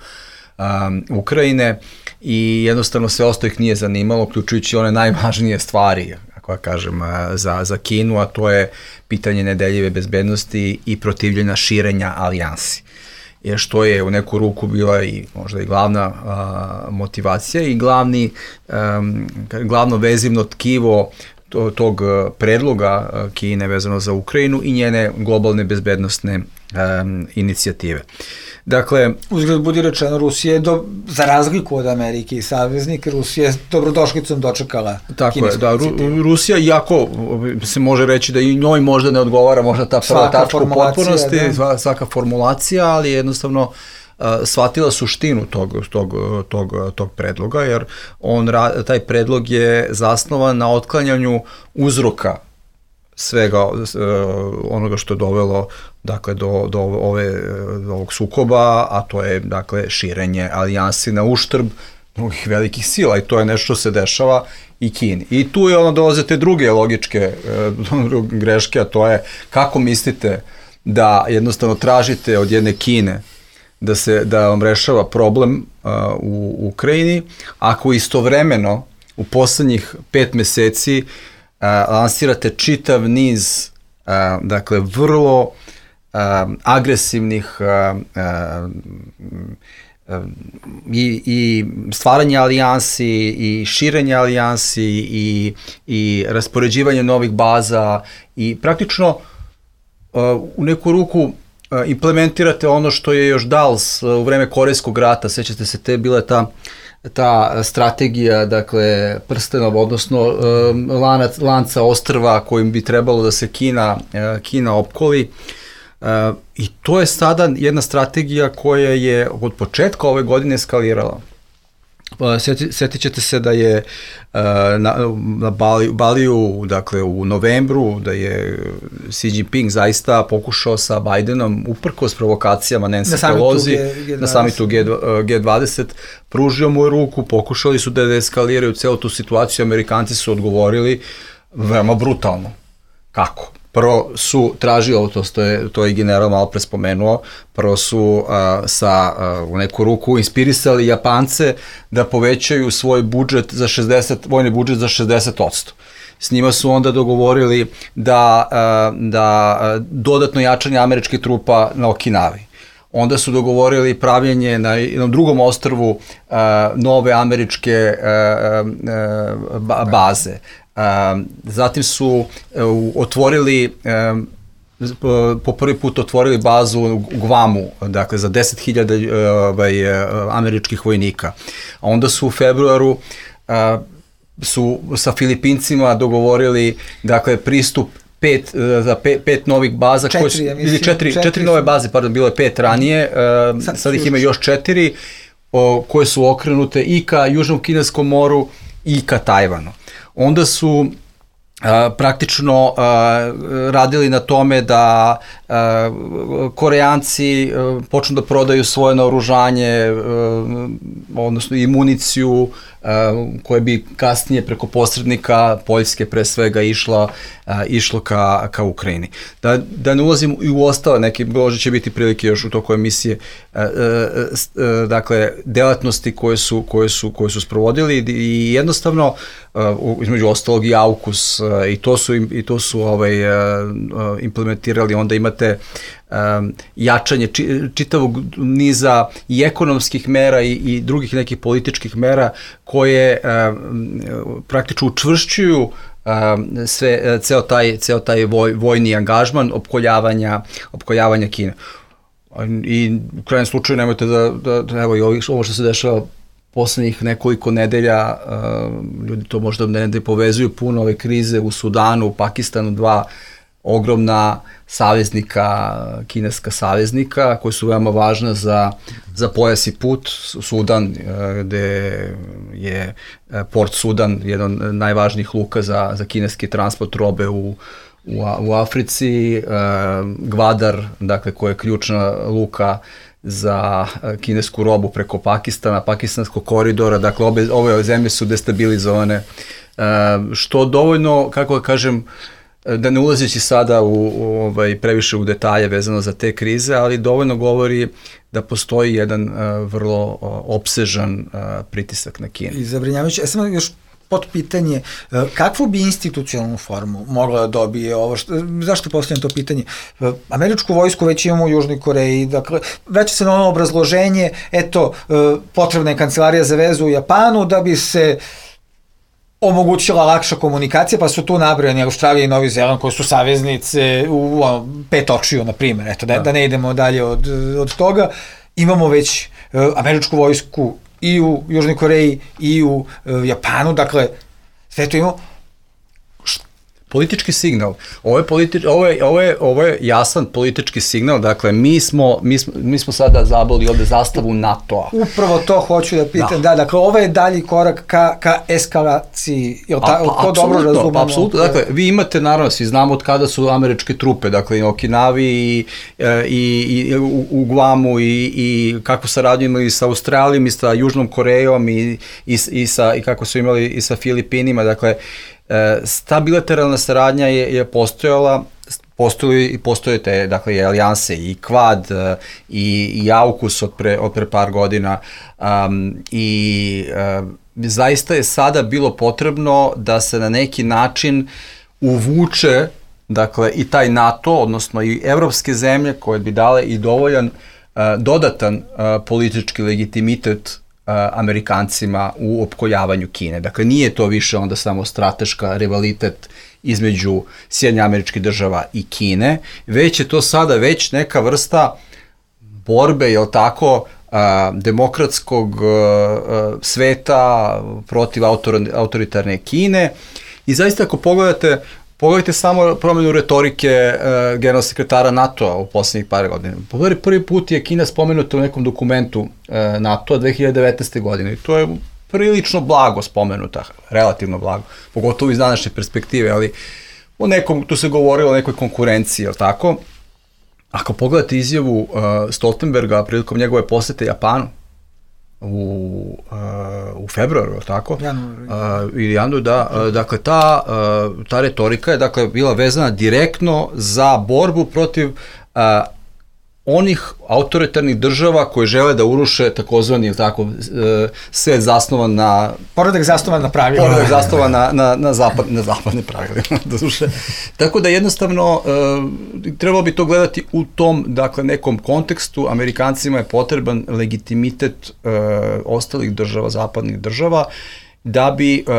um, Ukrajine i jednostavno sve ostalo ih nije zanimalo, uključujući one najvažnije stvari, ako ja kažem, za, za Kinu, a to je pitanje nedeljive bezbednosti i protivljenja širenja alijansi. je što je u neku ruku bila i možda i glavna a, motivacija i glavni, a, glavno vezivno tkivo tog predloga Kine vezano za Ukrajinu i njene globalne bezbednostne um, inicijative. Dakle, uzgled budi rečeno, Rusija je do, za razliku od Amerike i saveznik, Rusija je dobrodošlicom dočekala tako je, da, Ru, Rusija, iako se može reći da i njoj možda ne odgovara možda ta prva tačka u potpunosti, da. svaka formulacija, ali jednostavno Uh, shvatila suštinu tog, tog, tog, tog predloga, jer on, taj predlog je zasnovan na otklanjanju uzroka svega uh, onoga što je dovelo dakle, do, do, ove, do ovog sukoba, a to je dakle, širenje alijansi na uštrb drugih velikih sila i to je nešto što se dešava i Kini. I tu je ono dolaze te druge logičke uh, greške, a to je kako mislite da jednostavno tražite od jedne Kine da se da vam rešava problem uh, u Ukrajini, ako istovremeno u poslednjih pet meseci uh, lansirate čitav niz uh, dakle vrlo uh, agresivnih uh, uh, i, i stvaranje alijansi i širenje alijansi i, i raspoređivanje novih baza i praktično uh, u neku ruku implementirate ono što je još Dals u vreme Korejskog rata, sećate se, te bila ta ta strategija, dakle, prstenova, odnosno lanac, lanca ostrva kojim bi trebalo da se Kina, Kina opkoli. I to je sada jedna strategija koja je od početka ove godine eskalirala. Sjeti, sjetit ćete se da je uh, na, na Bali, Baliju, dakle u novembru, da je Xi Jinping zaista pokušao sa Bidenom, uprkos provokacijama Nancy Pelosi, na samitu G dvadeset, pružio mu ruku, pokušali su da deeskaliraju celu tu situaciju, Amerikanci su odgovorili veoma brutalno. Kako? Prvo su tražili, to je, to je general malo pre spomenuo, prvo su uh, sa uh, u neku ruku inspirisali Japance da povećaju svoj budžet za šezdeset, vojni budžet za šezdeset posto. S njima su onda dogovorili da, uh, da uh, dodatno jačanje američkih trupa na Okinavi. Onda su dogovorili pravljenje na jednom drugom ostrvu uh, nove američke uh, uh, baze. Um, zatim su uh, otvorili um, po prvi put otvorili bazu u Guamu, dakle za deset hiljada uh, američkih vojnika. A onda su u februaru uh, su sa Filipincima dogovorili dakle pristup pet, za pet, pet novih baza, četiri, koje su, ja mislim, četiri, četiri, četiri nove baze, pardon, bilo je pet ranije, uh, sad, sad ih ima još četiri, o, koje su okrenute i ka Južnom Kineskom moru i ka Tajvanu. Onda su a, praktično a, radili na tome da a, Koreanci a, počnu da prodaju svoje naoružanje, a, odnosno i municiju, a, koje bi kasnije preko posrednika Poljske pre svega išla, a, išlo ka, ka Ukrajini. Da, da ne ulazim i u ostale, neke možda će biti prilike još u toku emisije, a, a, a, dakle, delatnosti koje su, koje su, koje su sprovodili i jednostavno Uh, između ostalog i AUKUS uh, i to su, i to su ovaj, uh, implementirali. Onda imate um, jačanje či, čitavog niza i ekonomskih mera i, i drugih nekih političkih mera koje uh, praktično učvršćuju uh, sve, ceo taj, ceo taj voj, vojni angažman opkoljavanja, opkoljavanja Kine. I u krajnjem slučaju nemojte da, da, da evo i ovo što se dešava poslednjih nekoliko nedelja, uh, ljudi to možda ne povezuju puno, ove krize u Sudanu, u Pakistanu, dva ogromna saveznika, kineska saveznika, koji su veoma važna za, za pojas i put. Sudan, uh, gde je Port Sudan, jedan od najvažnijih luka za, za kineski transport robe u, u, u Africi, uh, Gvadar, dakle, koja je ključna luka za kinesku robu preko Pakistana, pakistanskog koridora, dakle obe, ove zemlje su destabilizovane, što dovoljno, kako da kažem, da ne ulazeći sada u, u ovaj, previše u detalje vezano za te krize, ali dovoljno govori da postoji jedan uh, vrlo uh, opsežan uh, pritisak na Kinu. I zabrinjavajući, ja sam još pod pitanje kakvu bi institucionalnu formu mogla da dobije ovo, što, zašto postavljam to pitanje? Američku vojsku već imamo u Južnoj Koreji, dakle, vraća se na ono obrazloženje, eto, potrebna je kancelarija za vezu u Japanu da bi se omogućila lakša komunikacija, pa su tu nabrojani Australija i Novi Zeland koji su saveznice u ono, pet očiju, na primjer, eto, da, da ne idemo dalje od, od toga. Imamo već uh, američku vojsku i u Južnoj Koreji i u uh, Japanu, dakle, sve to imamo. Politički signal. Ovo je, politi, ovo, je, ovo, je, ovo je jasan politički signal, dakle, mi smo, mi smo, mi smo sada zaboli ovde zastavu NATO-a. Upravo to hoću da pitam, da, da dakle, ovo je dalji korak ka, ka eskalaciji, je li ta, pa, to dobro razumemo? Pa, apsolutno, dakle, vi imate, naravno, svi znamo od kada su američke trupe, dakle, i Okinavi i, i, i u, u Guamu i, i kako saradnju imali sa Australijom i sa Južnom Korejom i, i, i, sa, i kako su imali i sa Filipinima, dakle, ta bilateralna saradnja je, je postojala, postoji i postoje te, dakle, i alijanse i Quad i, i AUKUS od pre, od pre par godina um, i um, zaista je sada bilo potrebno da se na neki način uvuče, dakle, i taj NATO, odnosno i evropske zemlje koje bi dale i dovoljan uh, dodatan uh, politički legitimitet Amerikancima u opkoljavanju Kine. Dakle, nije to više onda samo strateška rivalitet između Sjedinjenih Američkih Država i Kine, već je to sada već neka vrsta borbe, jel tako, demokratskog sveta protiv autoritarne Kine. I zaista ako pogledate Pogledajte samo promjenu retorike uh, generalnog sekretara NATO-a u poslednjih par godina. Pogledajte, prvi put je Kina spomenuta u nekom dokumentu uh, NATO-a dve hiljade devetnaeste. godine i to je prilično blago spomenuta, relativno blago, pogotovo iz današnje perspektive, ali o nekom, tu se govorilo o nekoj konkurenciji, jel tako? Ako pogledate izjavu uh, Stoltenberga prilikom njegove posete Japanu, u, uh, u februaru, tako? Januar. Uh, ili januar, da. Uh, dakle, ta, uh, ta retorika je, dakle, bila vezana direktno za borbu protiv uh, onih autoritarnih država koje žele da uruše takozvani, tako, uh, svet zasnovan na... Poredak zasnovan na pravilima. Poredak zasnovan na, na, na, zapad, na zapadne pravilima, da duše. Tako da jednostavno uh, trebalo bi to gledati u tom, dakle, nekom kontekstu. Amerikancima je potreban legitimitet uh, ostalih država, zapadnih država, da bi, uh,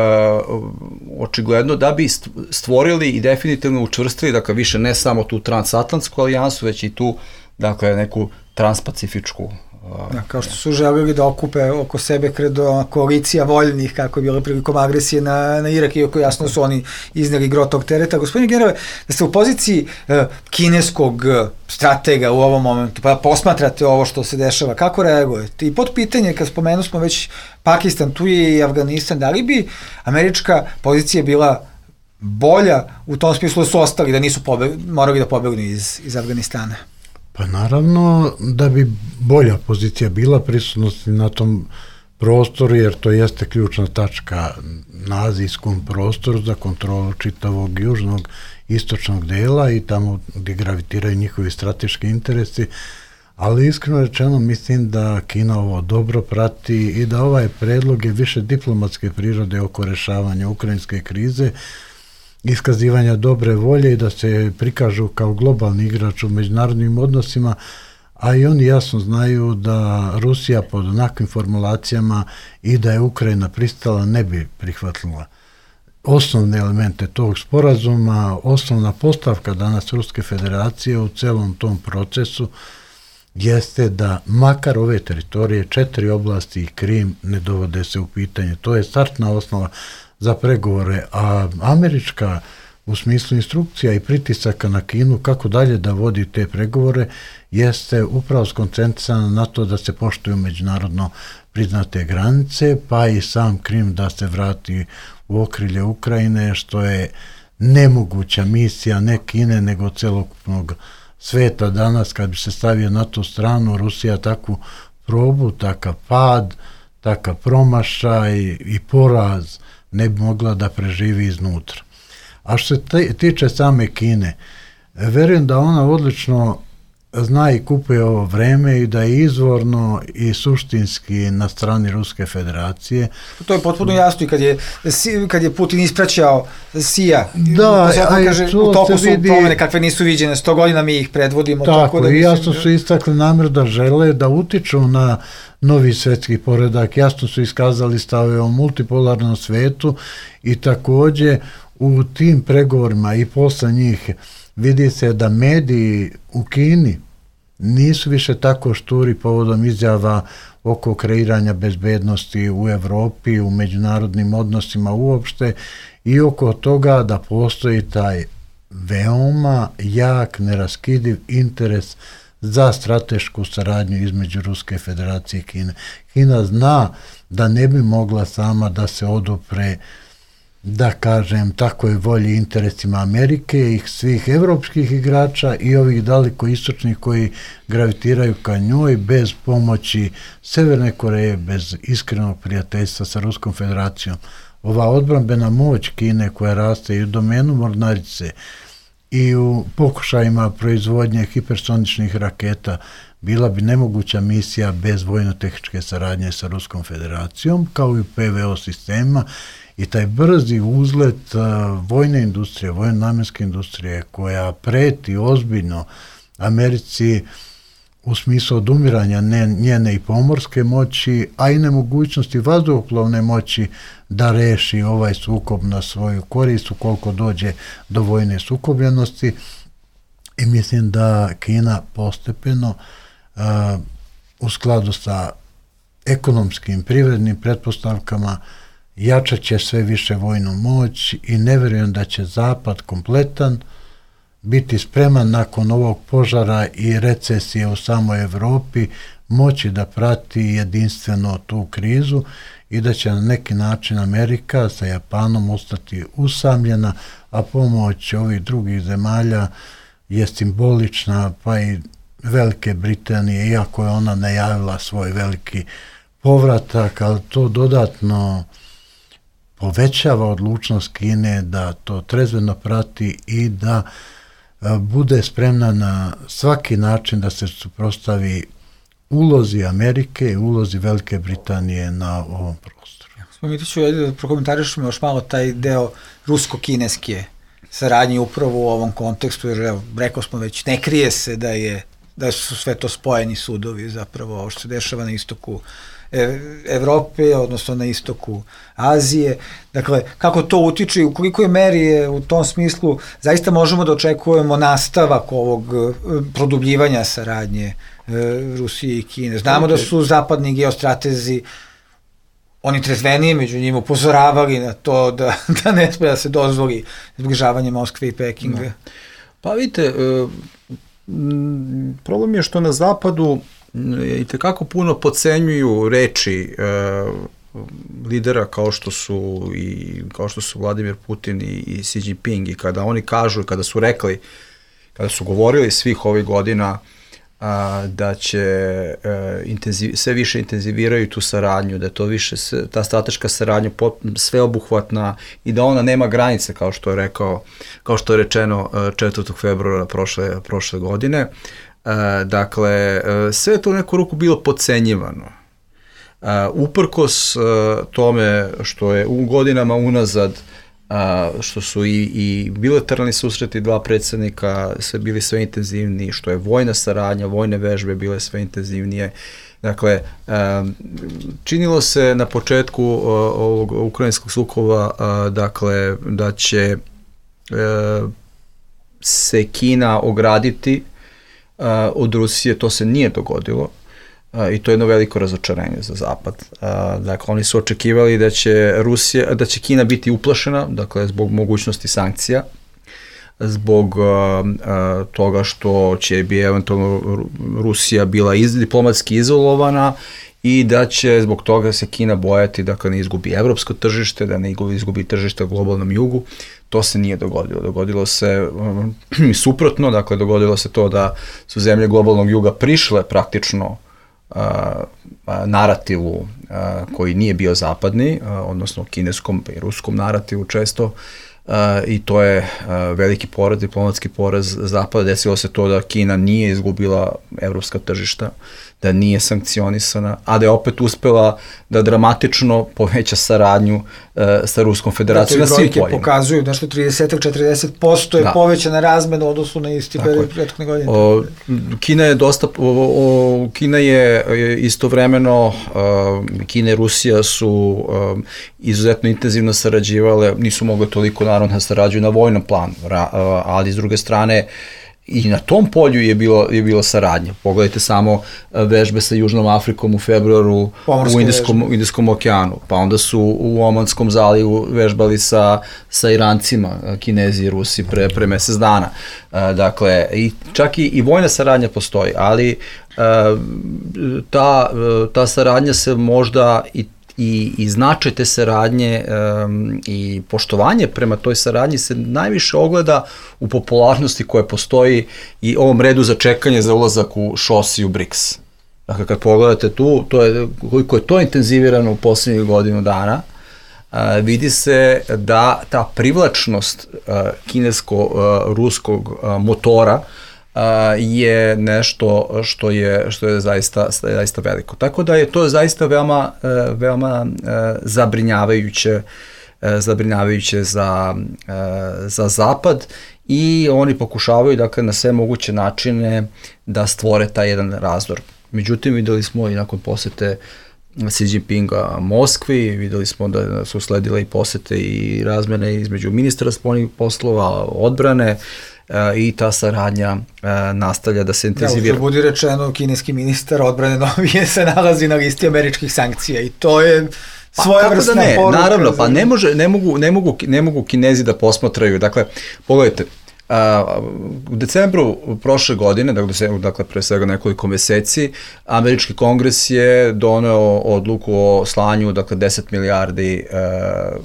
očigledno, da bi stvorili i definitivno učvrstili, dakle, više ne samo tu transatlantsku alijansu, već i tu, dakle, neku transpacifičku. Uh, da, kao što su želeli da okupe oko sebe kredo koalicija voljnih, kako je bilo prilikom agresije na, na Irak, iako jasno su oni izneli gro tog tereta. Gospodine generale, da ste u poziciji uh, kineskog stratega u ovom momentu, pa posmatrate ovo što se dešava, kako reagujete? I pod pitanje, kad spomenu smo već Pakistan, tu je i Afganistan, da li bi američka pozicija bila bolja u tom smislu da su ostali, da nisu pobeg, morali da pobegnu iz, iz Afganistana? Pa naravno da bi bolja pozicija bila prisutnosti na tom prostoru, jer to jeste ključna tačka na azijskom prostoru za kontrolu čitavog južnog istočnog dela i tamo gdje gravitiraju njihovi strateški interesi, ali iskreno rečeno mislim da Kina ovo dobro prati i da ovaj predlog je više diplomatske prirode oko rešavanja ukrajinske krize, iskazivanja dobre volje i da se prikažu kao globalni igrač u međunarodnim odnosima, a i oni jasno znaju da Rusija pod onakvim formulacijama i da je Ukrajina pristala ne bi prihvatila osnovne elemente tog sporazuma. Osnovna postavka danas Ruske federacije u celom tom procesu jeste da makar ove teritorije, četiri oblasti i Krim ne dovode se u pitanje. To je startna osnova za pregovore, a američka u smislu instrukcija i pritisaka na Kinu kako dalje da vodi te pregovore jeste upravo skoncentrisana na to da se poštuju međunarodno priznate granice, pa i sam Krim da se vrati u okrilje Ukrajine, što je nemoguća misija ne Kine nego celokupnog sveta danas. Kad bi se stavio na tu stranu, Rusija takvu probu, takav pad, takav promašaj i poraz ne bi mogla da preživi iznutra. A što se tiče same Kine, verujem da ona odlično zna i kupuje ovo vreme i da je izvorno i suštinski na strani Ruske federacije. To je potpuno jasno i kad je, kad je Putin ispraćao Sija, da, a kaže, to u toku su vidi, promene kakve nisu viđene, sto godina mi ih predvodimo. Tako, tako da i mislim, jasno su istakli namjer da žele da utiču na novi svetski poredak, jasno su iskazali stave o multipolarnom svetu i takođe u tim pregovorima i posle njih vidi se da mediji u Kini nisu više tako šturi povodom izjava oko kreiranja bezbednosti u Evropi, u međunarodnim odnosima uopšte i oko toga da postoji taj veoma jak, neraskidiv interes za stratešku saradnju između Ruske federacije i Kine. Kina zna da ne bi mogla sama da se odupre, da kažem, takoj volji interesima Amerike i svih evropskih igrača i ovih daleko istočnih koji gravitiraju ka njoj bez pomoći Severne Koreje, bez iskrenog prijateljstva sa Ruskom federacijom. Ova odbrambena moć Kine koja raste i u domenu mornarice i u pokušajima proizvodnje hipersoničnih raketa bila bi nemoguća misija bez vojno-tehničke saradnje sa Ruskom federacijom, kao i u P V O sistema. I taj brzi uzlet uh, vojne industrije, vojno-namenske industrije koja preti ozbiljno Americi u smislu odumiranja ne, njene i pomorske moći, a i nemogućnosti vazduhoplovne moći da reši ovaj sukob na svoju korist ukoliko dođe do vojne sukobljenosti. I mislim da Kina postepeno uh, u skladu sa ekonomskim, privrednim pretpostavkama jačat će sve više vojnu moć i ne verujem da će Zapad kompletan biti spreman nakon ovog požara i recesije u samoj Evropi moći da prati jedinstveno tu krizu i da će na neki način Amerika sa Japanom ostati usamljena, a pomoć ovih drugih zemalja je simbolična, pa i Velike Britanije, iako je ona najavila svoj veliki povratak, ali to dodatno povećava odlučnost Kine da to trezveno prati i da bude spremna na svaki način da se suprotstavi ulozi Amerike i ulozi Velike Britanije na ovom prostoru. Spomitiću, da prokomentarišemo još malo taj deo rusko-kineske saradnje upravo u ovom kontekstu, jer evo, rekao smo već, ne krije se da je da su sve to spojeni sudovi zapravo, ovo što se dešava na istoku Evrope, odnosno na istoku Azije. Dakle, kako to utiče i u kolikoj meri je u tom smislu zaista možemo da očekujemo nastavak ovog produbljivanja saradnje Rusije i Kine. Znamo da su zapadni geostratezi, oni trezvenije među njima upozoravali na to da, da ne sme da se dozvoli zbližavanje Moskve i Pekinga. No. Pa vidite, problem je što na zapadu i tekako puno podcenjuju reči e, lidera kao što su i kao što su Vladimir Putin i, i Xi Jinping, i kada oni kažu, kada su rekli, kada su govorili svih ovih godina a, da će e, intenziv, sve više intenziviraju tu saradnju, da je to više ta strateška saradnja sveobuhvatna i da ona nema granice, kao što je rekao, kao što je rečeno četvrtog februara prošle prošle godine. Uh, dakle, uh, sve je to u neku ruku bilo podcenjivano. Uh, uprkos uh, tome što je u godinama unazad, uh, što su i, i bilateralni susreti dva predsjednika sve bili sve intenzivniji, što je vojna saradnja, vojne vežbe bile sve intenzivnije. Dakle, um, činilo se na početku uh, ovog ukrajinskog sukoba, uh, dakle, da će uh, se Kina ograditi Uh, od Rusije. To se nije dogodilo uh, i to je jedno veliko razočarenje za Zapad. Uh, dakle, oni su očekivali da će Rusija, da će Kina biti uplašena, dakle, zbog mogućnosti sankcija, zbog uh, uh, toga što će bi eventualno Rusija bila iz, diplomatski izolovana i da će zbog toga se Kina bojati da ne izgubi evropsko tržište, da ne izgubi tržište u globalnom jugu. To se nije dogodilo. Dogodilo se um, suprotno, dakle dogodilo se to da su zemlje globalnog juga prišle praktično uh, narativu uh, koji nije bio zapadni, uh, odnosno kineskom i ruskom narativu često, uh, i to je uh, veliki poraz, diplomatski poraz Zapada. Desilo se to da Kina nije izgubila evropska tržišta, da nije sankcionisana, a da je opet uspela da dramatično poveća saradnju uh, sa Ruskom federacijom na svim poljima. Brojke pokazuju nešto trideset do četrdeset posto je da. Povećana razmena u odnosu na isti period prethodne godine. O, Kina je dosta, o, o, Kina je istovremeno, o, Kina i Rusija su o, izuzetno intenzivno sarađivale, nisu mogle toliko naravno da sarađuju na vojnom planu, ra, o, ali s druge strane i na tom polju je bilo, je bilo saradnja. Pogledajte samo vežbe sa Južnom Afrikom u februaru Pomorske u Indijskom, u Indijskom okeanu, pa onda su u Omanskom zalivu vežbali sa, sa Irancima, Kinezi i Rusi pre, pre mesec dana. Dakle, i čak i, i vojna saradnja postoji, ali ta, ta saradnja se možda i I, i značaj te saradnje um, i poštovanje prema toj saradnji se najviše ogleda u popularnosti koja postoji i ovom redu za čekanje za ulazak u ŠOS i u BRICS. Dakle, kad pogledate tu, to je, koliko je to intenzivirano u poslednjih godinu dana, uh, vidi se da ta privlačnost uh, kinesko-ruskog uh, motora Uh, je nešto što je što je zaista zaista veliko. Tako da je to zaista veoma uh, veoma uh, zabrinjavajuće uh, zabrinjavajuće za uh, za zapad i oni pokušavaju dakle na sve moguće načine da stvore taj jedan razdor. Međutim, videli smo i nakon posete Xi Jinpinga Moskvi, videli smo da su sledile i posete i razmene između ministra spoljnih poslova, odbrane, i ta saradnja nastavlja da se intenzivira. Da, budi rečeno, kineski ministar odbrane novije se nalazi na listi američkih sankcija i to je svojevrsna pa, ne, poruka. Naravno, pa ne, može, ne, mogu, ne, mogu, ne mogu Kinezi da posmatraju. Dakle, pogledajte, Uh, u decembru prošle godine, dakle, dakle pre svega nekoliko meseci, američki kongres je doneo odluku o slanju dakle, deset milijardi uh,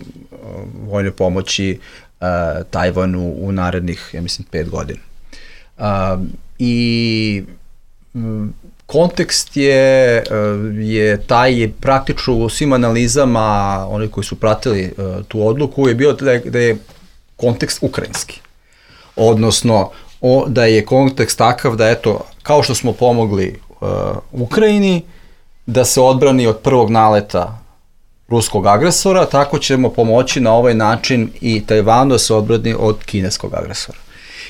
vojne pomoći uh, Tajvanu u narednih, ja mislim, pet godina. Uh, I um, kontekst je, je taj, je praktično u svim analizama, oni koji su pratili uh, tu odluku, je bio da je, da je kontekst ukrajinski. Odnosno, o, da je kontekst takav da, eto, kao što smo pomogli uh, Ukrajini da se odbrani od prvog naleta ruskog agresora, tako ćemo pomoći na ovaj način i Tajvanu da se odbrani od kineskog agresora.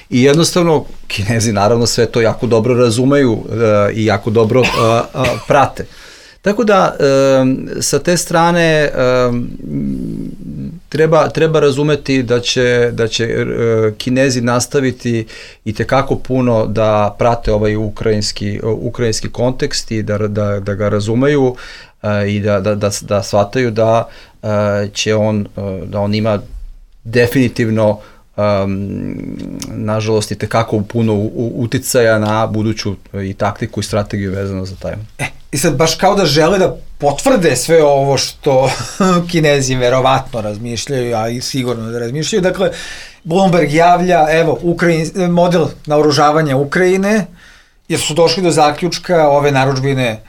I jednostavno, Kinezi naravno sve to jako dobro razumeju uh, i jako dobro uh, uh, prate. Tako da, um, sa te strane um, treba, treba razumeti da će, da će uh, Kinezi nastaviti i tekako puno da prate ovaj ukrajinski, uh, ukrajinski kontekst i da, da, da ga razumeju uh, i da, da, da, da shvataju da uh, će on, uh, da on ima definitivno Um, nažalost i tekako puno uticaja na buduću i taktiku i strategiju vezano za taj. E, i sad baš kao da žele da potvrde sve ovo što Kinezi verovatno razmišljaju, a i sigurno da razmišljaju. Dakle, Bloomberg javlja, evo, Ukrajin, model naoružavanja Ukrajine, jer su došli do zaključka ove narudžbine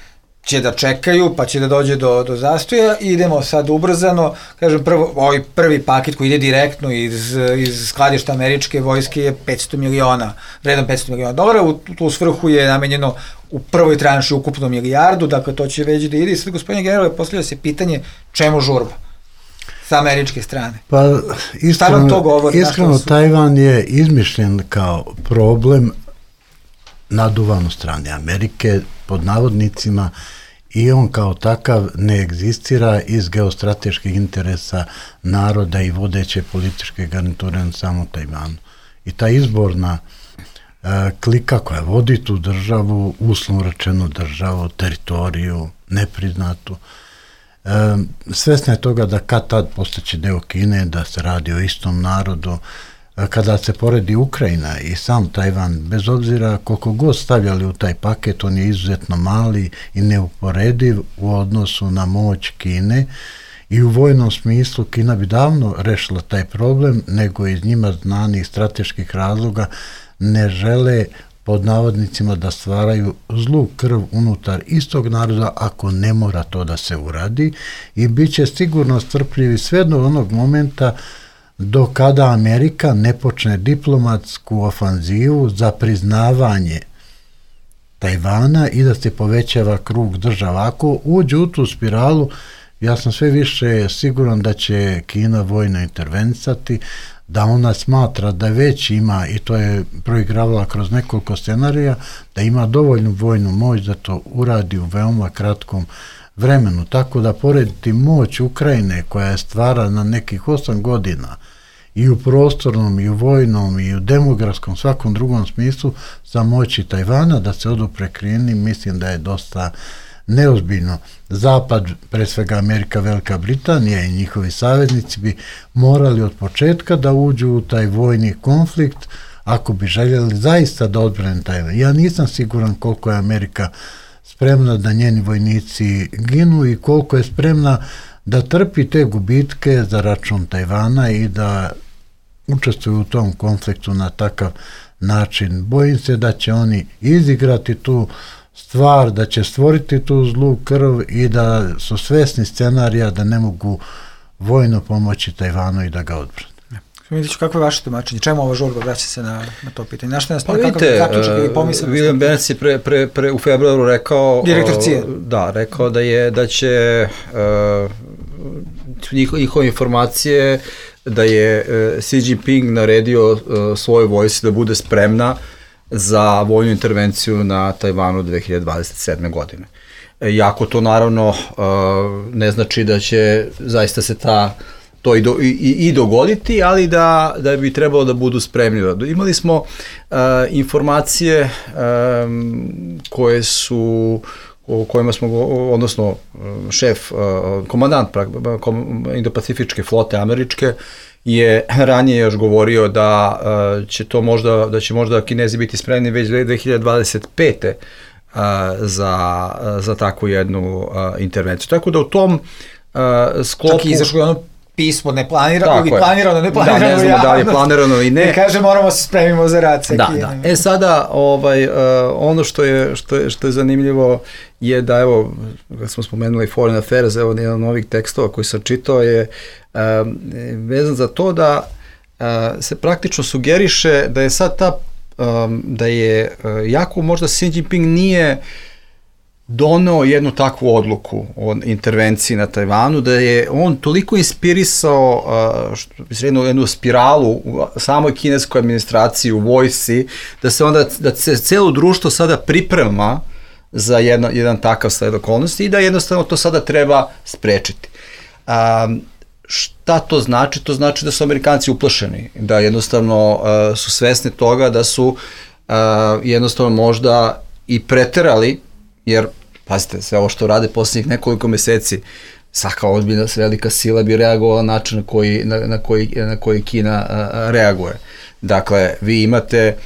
će da čekaju, pa će da dođe do, do zastoja i idemo sad ubrzano, kažem, prvo, ovaj prvi paket koji ide direktno iz, iz skladišta američke vojske je petsto miliona, vredan petsto miliona dolara, u tu svrhu je namenjeno u prvoj tranši ukupno milijardu, dakle to će već da ide i sad, gospodine generale, postavlja se pitanje čemu žurba sa američke strane. Pa, iskreno, to govori, iskreno su... Tajvan je izmišljen kao problem naduvan u strane Amerike, pod navodnicima, i on kao takav ne egzistira iz geostrateških interesa naroda i vodeće političke garniture na samom Tajvanu. I ta izborna e, klika koja vodi tu državu, uslovno rečenu državu, teritoriju, nepriznatu, e, svesna je toga da kad tad postaće deo Kine, da se radi o istom narodu. Kada se poredi Ukrajina i sam Tajvan, bez obzira koliko god stavljali u taj paket, on je izuzetno mali i neuporediv u odnosu na moć Kine i u vojnom smislu Kina bi davno rešila taj problem, nego iz njima znanih strateških razloga ne žele pod navodnicima da stvaraju zlu krv unutar istog naroda ako ne mora to da se uradi i bit će sigurno strpljivi sve do onog momenta do kada Amerika ne počne diplomatsku ofanzivu za priznavanje Tajvana i da se povećava krug država. Ako uđe u tu spiralu, ja sam sve više siguran da će Kina vojno intervenisati, da ona smatra da već ima, i to je proigravala kroz nekoliko scenarija, da ima dovoljnu vojnu moć da to uradi u veoma kratkom vremenu. Tako da porediti moć Ukrajine koja je stvara na nekih osam godina i u prostornom, i u vojnom, i u demografskom, svakom drugom smislu, za moći Tajvana da se odupre Kini, mislim da je dosta neozbiljno. Zapad, pre svega Amerika, Velika Britanija i njihovi saveznici bi morali od početka da uđu u taj vojni konflikt ako bi željeli zaista da odbrane Tajvan. Ja nisam siguran koliko je Amerika spremna da njeni vojnici ginu i koliko je spremna da trpi te gubitke za račun Tajvana i da učestvuju u tom konfliktu na takav način. Bojim se da će oni izigrati tu stvar, da će stvoriti tu zlu krv i da su svesni scenarija da ne mogu vojno pomoći Tajvanu i da ga odbrane. Vidite, kako je vaše tumačenje? Čemu ova žurba vraća se na, na to pitanje? Na što nas pa vidite, William Burns je pre, pre, pre, u februaru rekao, direktor C I A, da, rekao da je da će uh, njihove informacije da je uh, Xi Jinping naredio uh, svojoj vojsci da bude spremna za vojnu intervenciju na Tajvanu dve hiljade dvadeset sedme. godine. Iako to naravno uh, ne znači da će zaista se ta to i, do, i, i dogoditi, ali da, da bi trebalo da budu spremni. Imali smo uh, informacije um, koje su, o kojima smo, odnosno šef, uh, komandant kom, Indo-Pacifičke flote američke je ranije još govorio da uh, će to možda, da će možda Kinezi biti spremni već dve hiljade dvadeset pete. Uh, za, uh, za takvu jednu uh, intervenciju. Tako da u tom uh, sklopu... Čak i izašlo je ono pismo neplanirano ili planirano, neplanirano. Da, ne znamo da li je planirano i ne. I kaže moramo se spremimo za rad sa da, Kinom. Da. E sada, ovaj, uh, ono što je, što, je, što je zanimljivo je da, evo, kad smo spomenuli Foreign Affairs, evo jedan od novih tekstova koji sam čitao je uh, vezan za to da uh, se praktično sugeriše da je sad ta um, da je uh, jako možda Xi Jinping nije doneo jednu takvu odluku o intervenciji na Tajvanu, da je on toliko inspirisao uh, što bi se jednu, jednu spiralu u samoj kineskoj administraciji, u vojsci, da se onda, da se celo društvo sada priprema za jedno, jedan takav sled okolnosti i da jednostavno to sada treba sprečiti. Um, šta to znači? To znači da su Amerikanci uplašeni, da jednostavno uh, su svesni toga da su uh, jednostavno možda i preterali, jer, pazite, sve ovo što rade posljednjih nekoliko meseci, svaka ozbiljna velika sila bi reagovala na način na koji, na, na koji, na koji Kina a, reaguje. Dakle, vi imate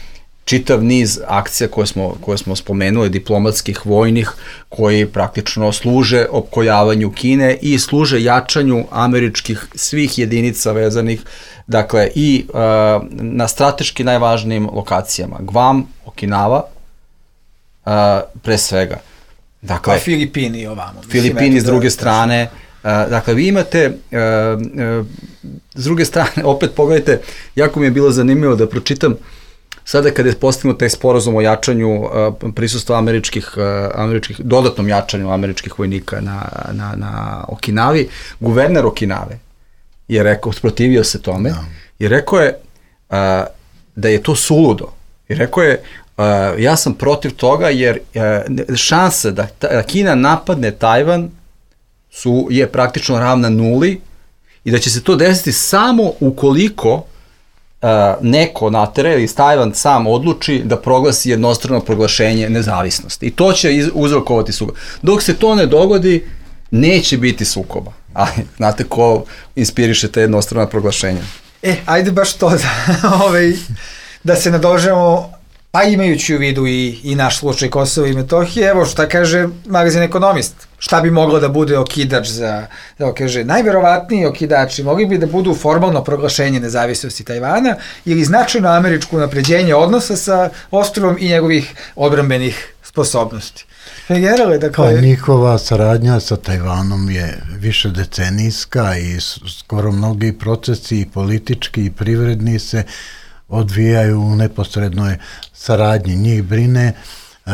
čitav niz akcija koje smo, koje smo spomenuli, diplomatskih, vojnih, koji praktično služe opkoljavanju Kine i služe jačanju američkih svih jedinica vezanih, dakle, i a, na strateški najvažnijim lokacijama. Guam, Okinawa, Uh, pre svega. Dakle, a Filipini ovamo. Filipini s druge strane. Uh, dakle, vi imate, uh, uh, s druge strane, opet pogledajte, jako mi je bilo zanimljivo da pročitam, sada kada je postignut taj sporazum o jačanju uh, prisustva američkih, uh, američkih, dodatnom jačanju američkih vojnika na, na, na Okinavi, guverner Okinave je rekao, sprotivio se tome, no. i rekao je uh, da je to suludo. I rekao je, Uh, ja sam protiv toga jer uh, šanse da, da Kina napadne Tajvan su, je praktično ravna nuli i da će se to desiti samo ukoliko uh, neko natere ili Tajvan sam odluči da proglasi jednostrano proglašenje nezavisnosti. I to će iz, uzrokovati sukob. Dok se to ne dogodi, neće biti sukoba. Ali znate ko inspiriše te jednostrana proglašenja? E, ajde baš to da, ovaj, da se nadožemo. Pa imajući u vidu i, i naš slučaj Kosova i Metohije, evo šta kaže magazin Ekonomist, šta bi moglo da bude okidač za, da kaže, najverovatniji okidači mogli bi da budu formalno proglašenje nezavisnosti Tajvana ili značajno američko unapređenje odnosa sa ostrvom i njegovih odbrambenih sposobnosti. Generale, dakle... Pa njihova saradnja sa Tajvanom je više decenijska i skoro mnogi procesi i politički i privredni se odvijaju u neposrednoj saradnji. Njih brine e,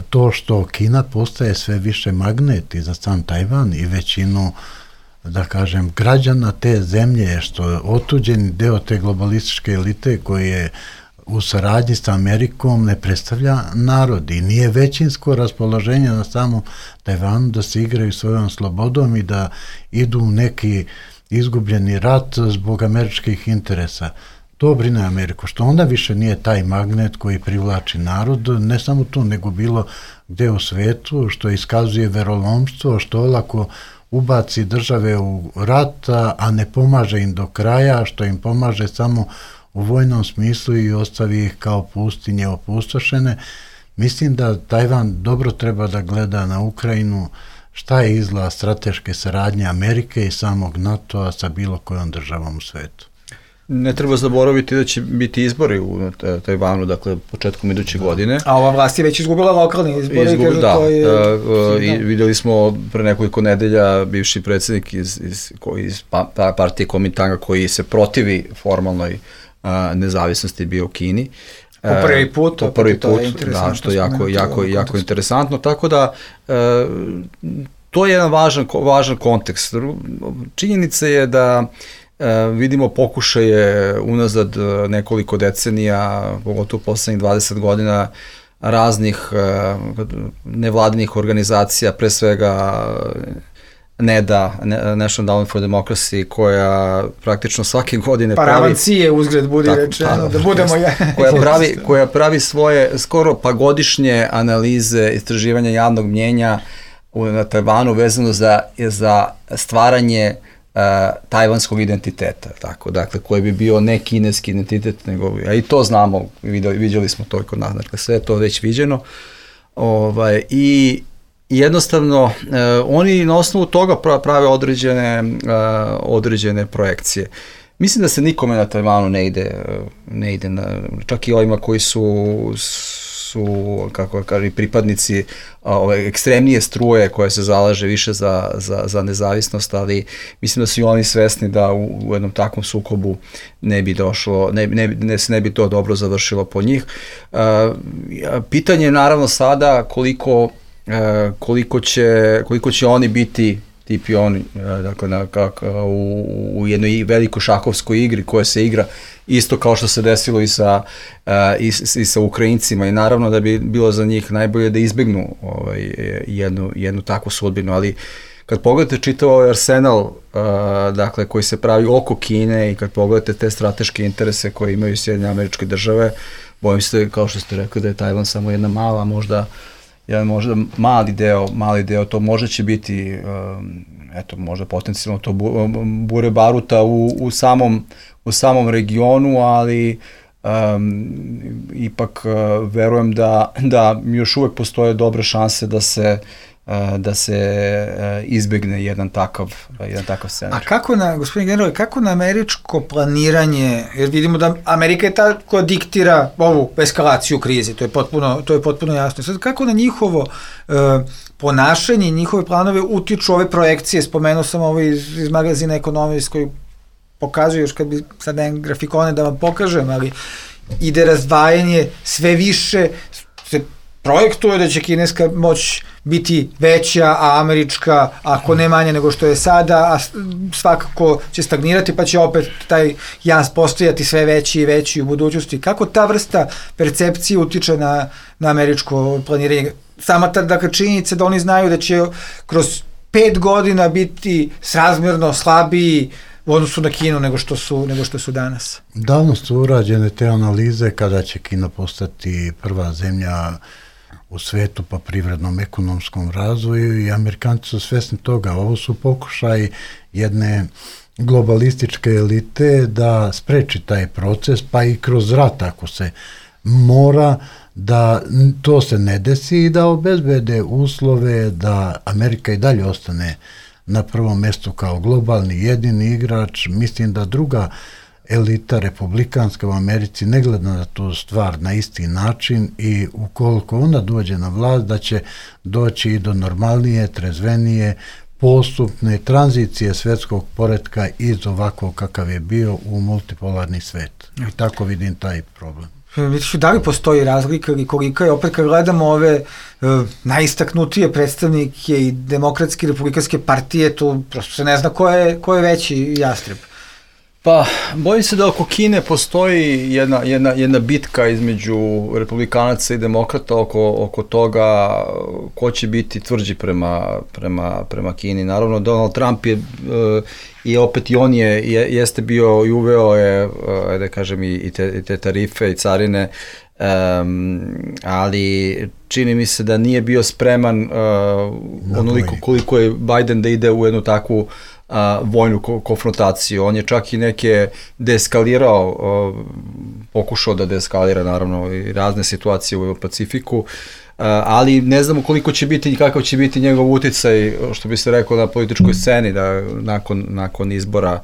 to što Kina postaje sve više magnet i za sam Tajvan i većinu, da kažem, građana te zemlje, što je otuđeni deo te globalističke elite koji je u saradnji sa Amerikom ne predstavlja narod i nije većinsko raspoloženje na samom Tajvanu da se igraju svojom slobodom i da idu u neki izgubljeni rat zbog američkih interesa. To brine Ameriku, što onda više nije taj magnet koji privlači narod, ne samo tu, nego bilo gde u svetu, što iskazuje verolomstvo, što olako ubaci države u rat, a ne pomaže im do kraja, što im pomaže samo u vojnom smislu i ostavi ih kao pustinje opustošene. Mislim da Tajvan dobro treba da gleda na Ukrajinu šta je izgleda strateške saradnje Amerike i samog NATO-a sa bilo kojom državom u svetu. Ne treba zaboraviti da će biti izbori u Tajvanu, dakle, početkom iduće da. godine. A ova vlast je već izgubila lokalni izbori. Izgub, kažu, da, to je... uh, i vidjeli smo pre nekoliko nedelja bivši predsjednik iz, iz, iz pa, partije Komintanga koji se protivi formalnoj uh, nezavisnosti bio u Kini. Po prvi put. Po prvi put, da, što je jako, jako, jako interesantno. Tako da, uh, to je jedan važan, važan kontekst. Činjenica je da vidimo pokušaje unazad nekoliko decenija, pogotovo poslednjih dvadeset godina, raznih nevladinih organizacija, pre svega N E D A, National Endowment for Democracy, koja praktično svake godine pravi... Paravancije uzgled budi rečeno, da budemo... koja, pravi, koja pravi svoje skoro pa godišnje analize, istraživanja javnog mnjenja na Tajvanu vezano za, za stvaranje Uh, tajvanskog identiteta, tako, dakle, koji bi bio ne kineski identitet, nego, a i to znamo, vidjeli, vidjeli smo to kod nas, dakle, sve je to već viđeno, ovaj, i jednostavno, uh, oni na osnovu toga prave određene, uh, određene projekcije. Mislim da se nikome na Tajvanu ne ide, ne ide na, čak i ovima koji su su, kako kažem, pripadnici ove ekstremnije struje koja se zalaže više za, za, za nezavisnost, ali mislim da su i oni svesni da u, u jednom takvom sukobu ne bi došlo, ne, ne, ne, ne bi to dobro završilo po njih. Uh, pitanje je naravno sada koliko, uh, koliko, će, koliko će oni biti ti pioni, dakle, na, kak, u, u jednoj velikoj šahovskoj igri koja se igra isto kao što se desilo i sa, uh, i, i sa Ukrajincima, i naravno da bi bilo za njih najbolje da izbegnu ovaj, jednu, jednu takvu sudbinu, ali kad pogledate čitav ovaj arsenal uh, dakle, koji se pravi oko Kine i kad pogledate te strateške interese koje imaju Sjedinjene Američke Države, bojim se, kao što ste rekli, da je Tajvan samo jedna mala, možda jedan možda mali deo, mali deo, to možda će biti, um, eto, možda potencijalno to bure baruta u, u, samom, u samom regionu, ali um, ipak uh, verujem da, da još uvek postoje dobre šanse da se da se izbegne jedan takav, jedan takav scenar. A kako na, gospodin general, kako na američko planiranje, jer vidimo da Amerika je ta koja diktira ovu eskalaciju krize, to je potpuno, to je potpuno jasno. Sad, kako na njihovo uh, ponašanje i njihove planove utiču ove projekcije, spomenuo sam ovo iz, iz magazina Economist koji pokazuje, još kad bi sad jedan grafikone da vam pokažem, ali ide razdvajanje sve više, se projektuje da će kineska moć biti veća, a američka ako ne manja nego što je sada, a svakako će stagnirati, pa će opet taj jaz postojati sve veći i veći u budućnosti. Kako ta vrsta percepcije utiče na, na američko planiranje? Sama ta, dakle, činjenica da oni znaju da će kroz pet godina biti srazmjerno slabiji u odnosu na Kinu nego što su, nego što su danas. Davno su urađene te analize kada će Kina postati prva zemlja u svetu po privrednom ekonomskom razvoju i Amerikanci su svesni toga. Ovo su pokušaj jedne globalističke elite da spreči taj proces, pa i kroz rat ako se mora, da to se ne desi i da obezbede uslove da Amerika i dalje ostane na prvom mjestu kao globalni jedini igrač. Mislim da druga elita republikanska u Americi ne gleda na tu stvar na isti način i ukoliko ona dođe na vlast da će doći i do normalnije, trezvenije, postupne tranzicije svetskog poretka iz ovakvog kakav je bio u multipolarni svet. I tako vidim taj problem. Vidiš, da li postoji razlika ili kolika je, opet kad gledamo ove e, najistaknutije predstavnike i demokratske i republikanske partije, tu prosto se ne zna ko je, ko je veći jastreb. Pa, bojim se da oko Kine postoji jedna, jedna, jedna bitka između republikanaca i demokrata oko, oko toga ko će biti tvrđi prema, prema, prema Kini. Naravno, Donald Trump je, i opet i on je, je jeste bio i uveo je, da kažem, i te, i te tarife i carine, um, ali čini mi se da nije bio spreman uh, onoliko koliko je Biden da ide u jednu takvu a, vojnu ko- konfrontaciju. On je čak i neke deeskalirao, a, pokušao da deeskalira naravno i razne situacije u Pacifiku, a, ali ne znamo koliko će biti i kakav će biti njegov uticaj, što bi se rekao, na političkoj sceni da nakon, nakon izbora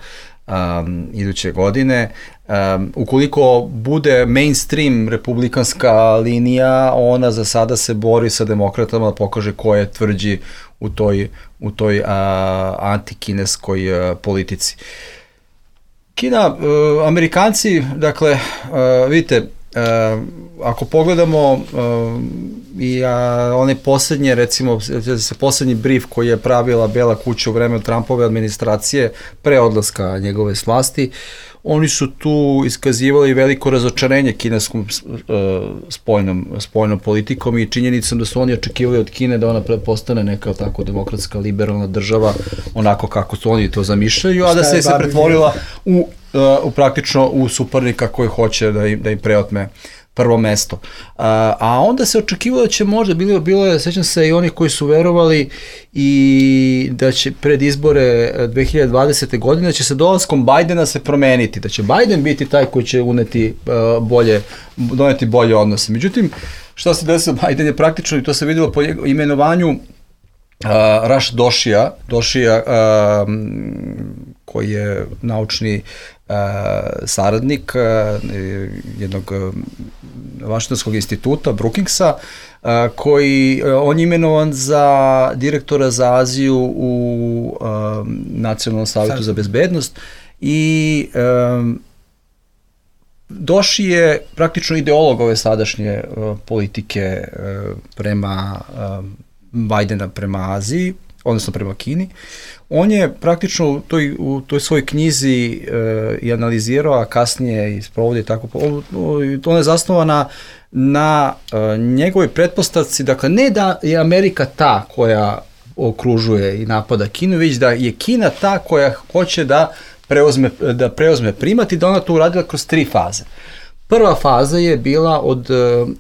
Um, iduće godine. Um, ukoliko bude mainstream republikanska linija, ona za sada se bori sa demokratama da pokaže ko je tvrđi u toj, u toj uh, antikineskoj uh, politici. Kina, uh, Amerikanci, dakle, uh, vidite, uh, ako pogledamo uh, i uh, one posljednje, recimo, se posljednji brief koji je pravila Bela kuća u vreme Trumpove administracije pre odlaska njegove s vlasti, oni su tu iskazivali veliko razočarenje kineskom uh, spoljnom, spoljnom politikom i činjenicom da su oni očekivali od Kine da ona postane neka tako demokratska, liberalna država, onako kako su oni to zamišljaju, a da se se pretvorila u, uh, u praktično u suparnika koji hoće da im, da im preotme prvo mesto. A, a onda se očekivalo da će možda, bilo, bilo je, sećam se, i oni koji su verovali i da će pred izbore dve hiljade dvadesete. godine, da će se dolaskom Bajdena se promeniti, da će Bajden biti taj koji će uneti uh, bolje, doneti bolje odnose. Međutim, šta se desilo, Bajden je praktično, i to se vidjelo po imenovanju uh, Raš Došija, Došija uh, koji je naučni uh, saradnik uh, jednog uh, Vašingtonskog instituta, Brookingsa, uh, koji, uh, on je imenovan za direktora za Aziju u uh, Nacionalnom savjetu za bezbednost i um, Doši je praktično ideolog ove sadašnje uh, politike uh, prema uh, Bajdena prema Aziji, odnosno prema Kini. On je praktično u toj, u toj svojoj knjizi e, i analizirao, a kasnije i sprovodi tako, ona je zasnovana na e, njegovoj pretpostavci, dakle ne da je Amerika ta koja okružuje i napada Kinu, već da je Kina ta koja hoće da preuzme, da preuzme primat i da ona to uradila kroz tri faze. Prva faza je bila od,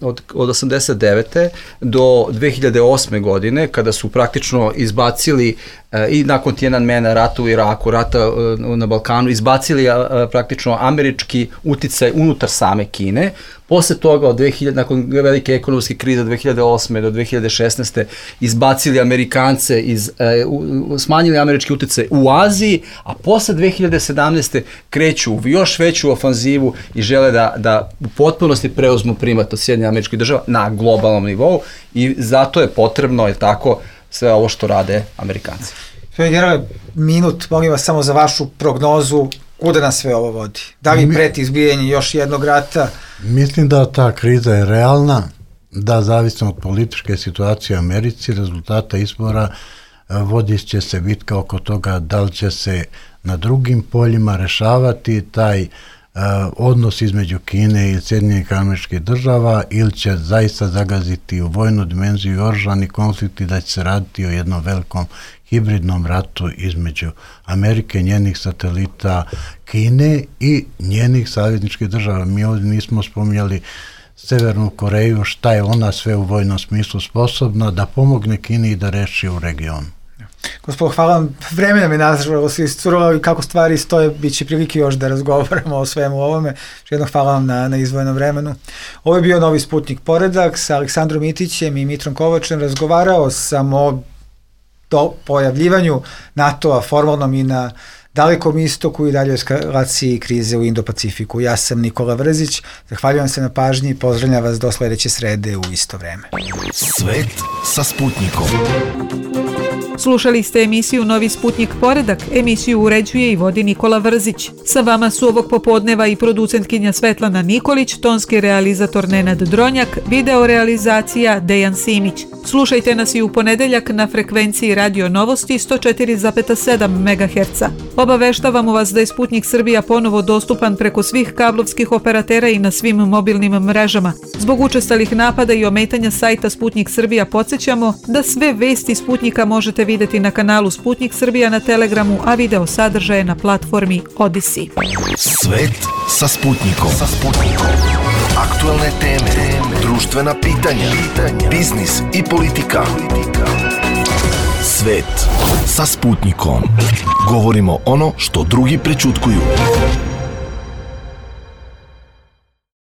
od, od osamdeset devete. do dve hiljade osme. godine, kada su praktično izbacili e, i nakon Tiananmena, rata u Iraku, rata e, na Balkanu, izbacili a, praktično američki uticaj unutar same Kine. Posle toga, od dve hiljade, nakon velike ekonomske krize od dve hiljade osme. do dve hiljade šesnaeste. izbacili Amerikance, iz, e, u, smanjili američki uticaj u Aziji, a posle dve hiljade sedamnaeste. kreću u još veću ofanzivu i žele da, da u potpunosti preuzmu primat od Sjedinjenih Američkih Država na globalnom nivou i zato je potrebno, je tako, sve ovo što rade Amerikanci. Generale, minut, molim vas samo za vašu prognozu, kuda nas sve ovo vodi? Da li preti izbijanje još jednog rata? Mislim da ta kriza je realna, da zavisno od političke situacije u Americi, rezultata izbora, vodit će se bitka oko toga da li će se na drugim poljima rešavati taj uh, odnos između Kine i Sjedinjenih Američkih Država ili će zaista zagaziti u vojnu dimenziju i oružani konflikt i da će se raditi o jednom velikom hibridnom ratu između Amerike, njenih satelita, Kine i njenih savezničkih država. Mi ovdje nismo spominjali Severnu Koreju, šta je ona sve u vojnom smislu sposobna da pomogne Kini i da reši u regionu. Gospodo, hvala vam. Vreme nam je nažalost iscurilo i kako stvari stoje, bit će prilike još da razgovaramo o svemu ovome. Jedno hvala vam na, na izdvojenom vremenu. Ovo je bio Novi Sputnik Poredak sa Aleksandrom Itićem i Mitrom Kovačem. Razgovarao sam o do pojavljivanju NATO-a formalnom i na Dalekom istoku i dalje eskalaciji krize u Indo-Pacifiku. Ja sam Nikola Vrzić, zahvaljujem se na pažnji i pozdravljam vas do sledeće srede u isto vreme. Svet sa Sputnikom. Slušali ste emisiju Novi Sputnik Poredak, emisiju uređuje i vodi Nikola Vrzić. Sa vama su ovog popodneva i producentkinja Svetlana Nikolić, tonski realizator Nenad Dronjak, video realizacija Dejan Simić. Slušajte nas i u ponedeljak na frekvenciji Radio Novosti sto četiri zarez sedam megaherca. Obaveštavamo vas da je Sputnik Srbija ponovo dostupan preko svih kablovskih operatera i na svim mobilnim mrežama. Zbog učestalih napada i ometanja sajta Sputnik Srbija podsjećamo da sve vesti Sputnika možete videti na kanalu Sputnik Srbija na Telegramu, a video sadržaje na platformi Odisi. Svet sa Sputnikom. Sa Sputnikom. Aktualne teme, društvena pitanja, biznis i politika. Svet sa Sputnikom. Govorimo ono što drugi prećutkuju.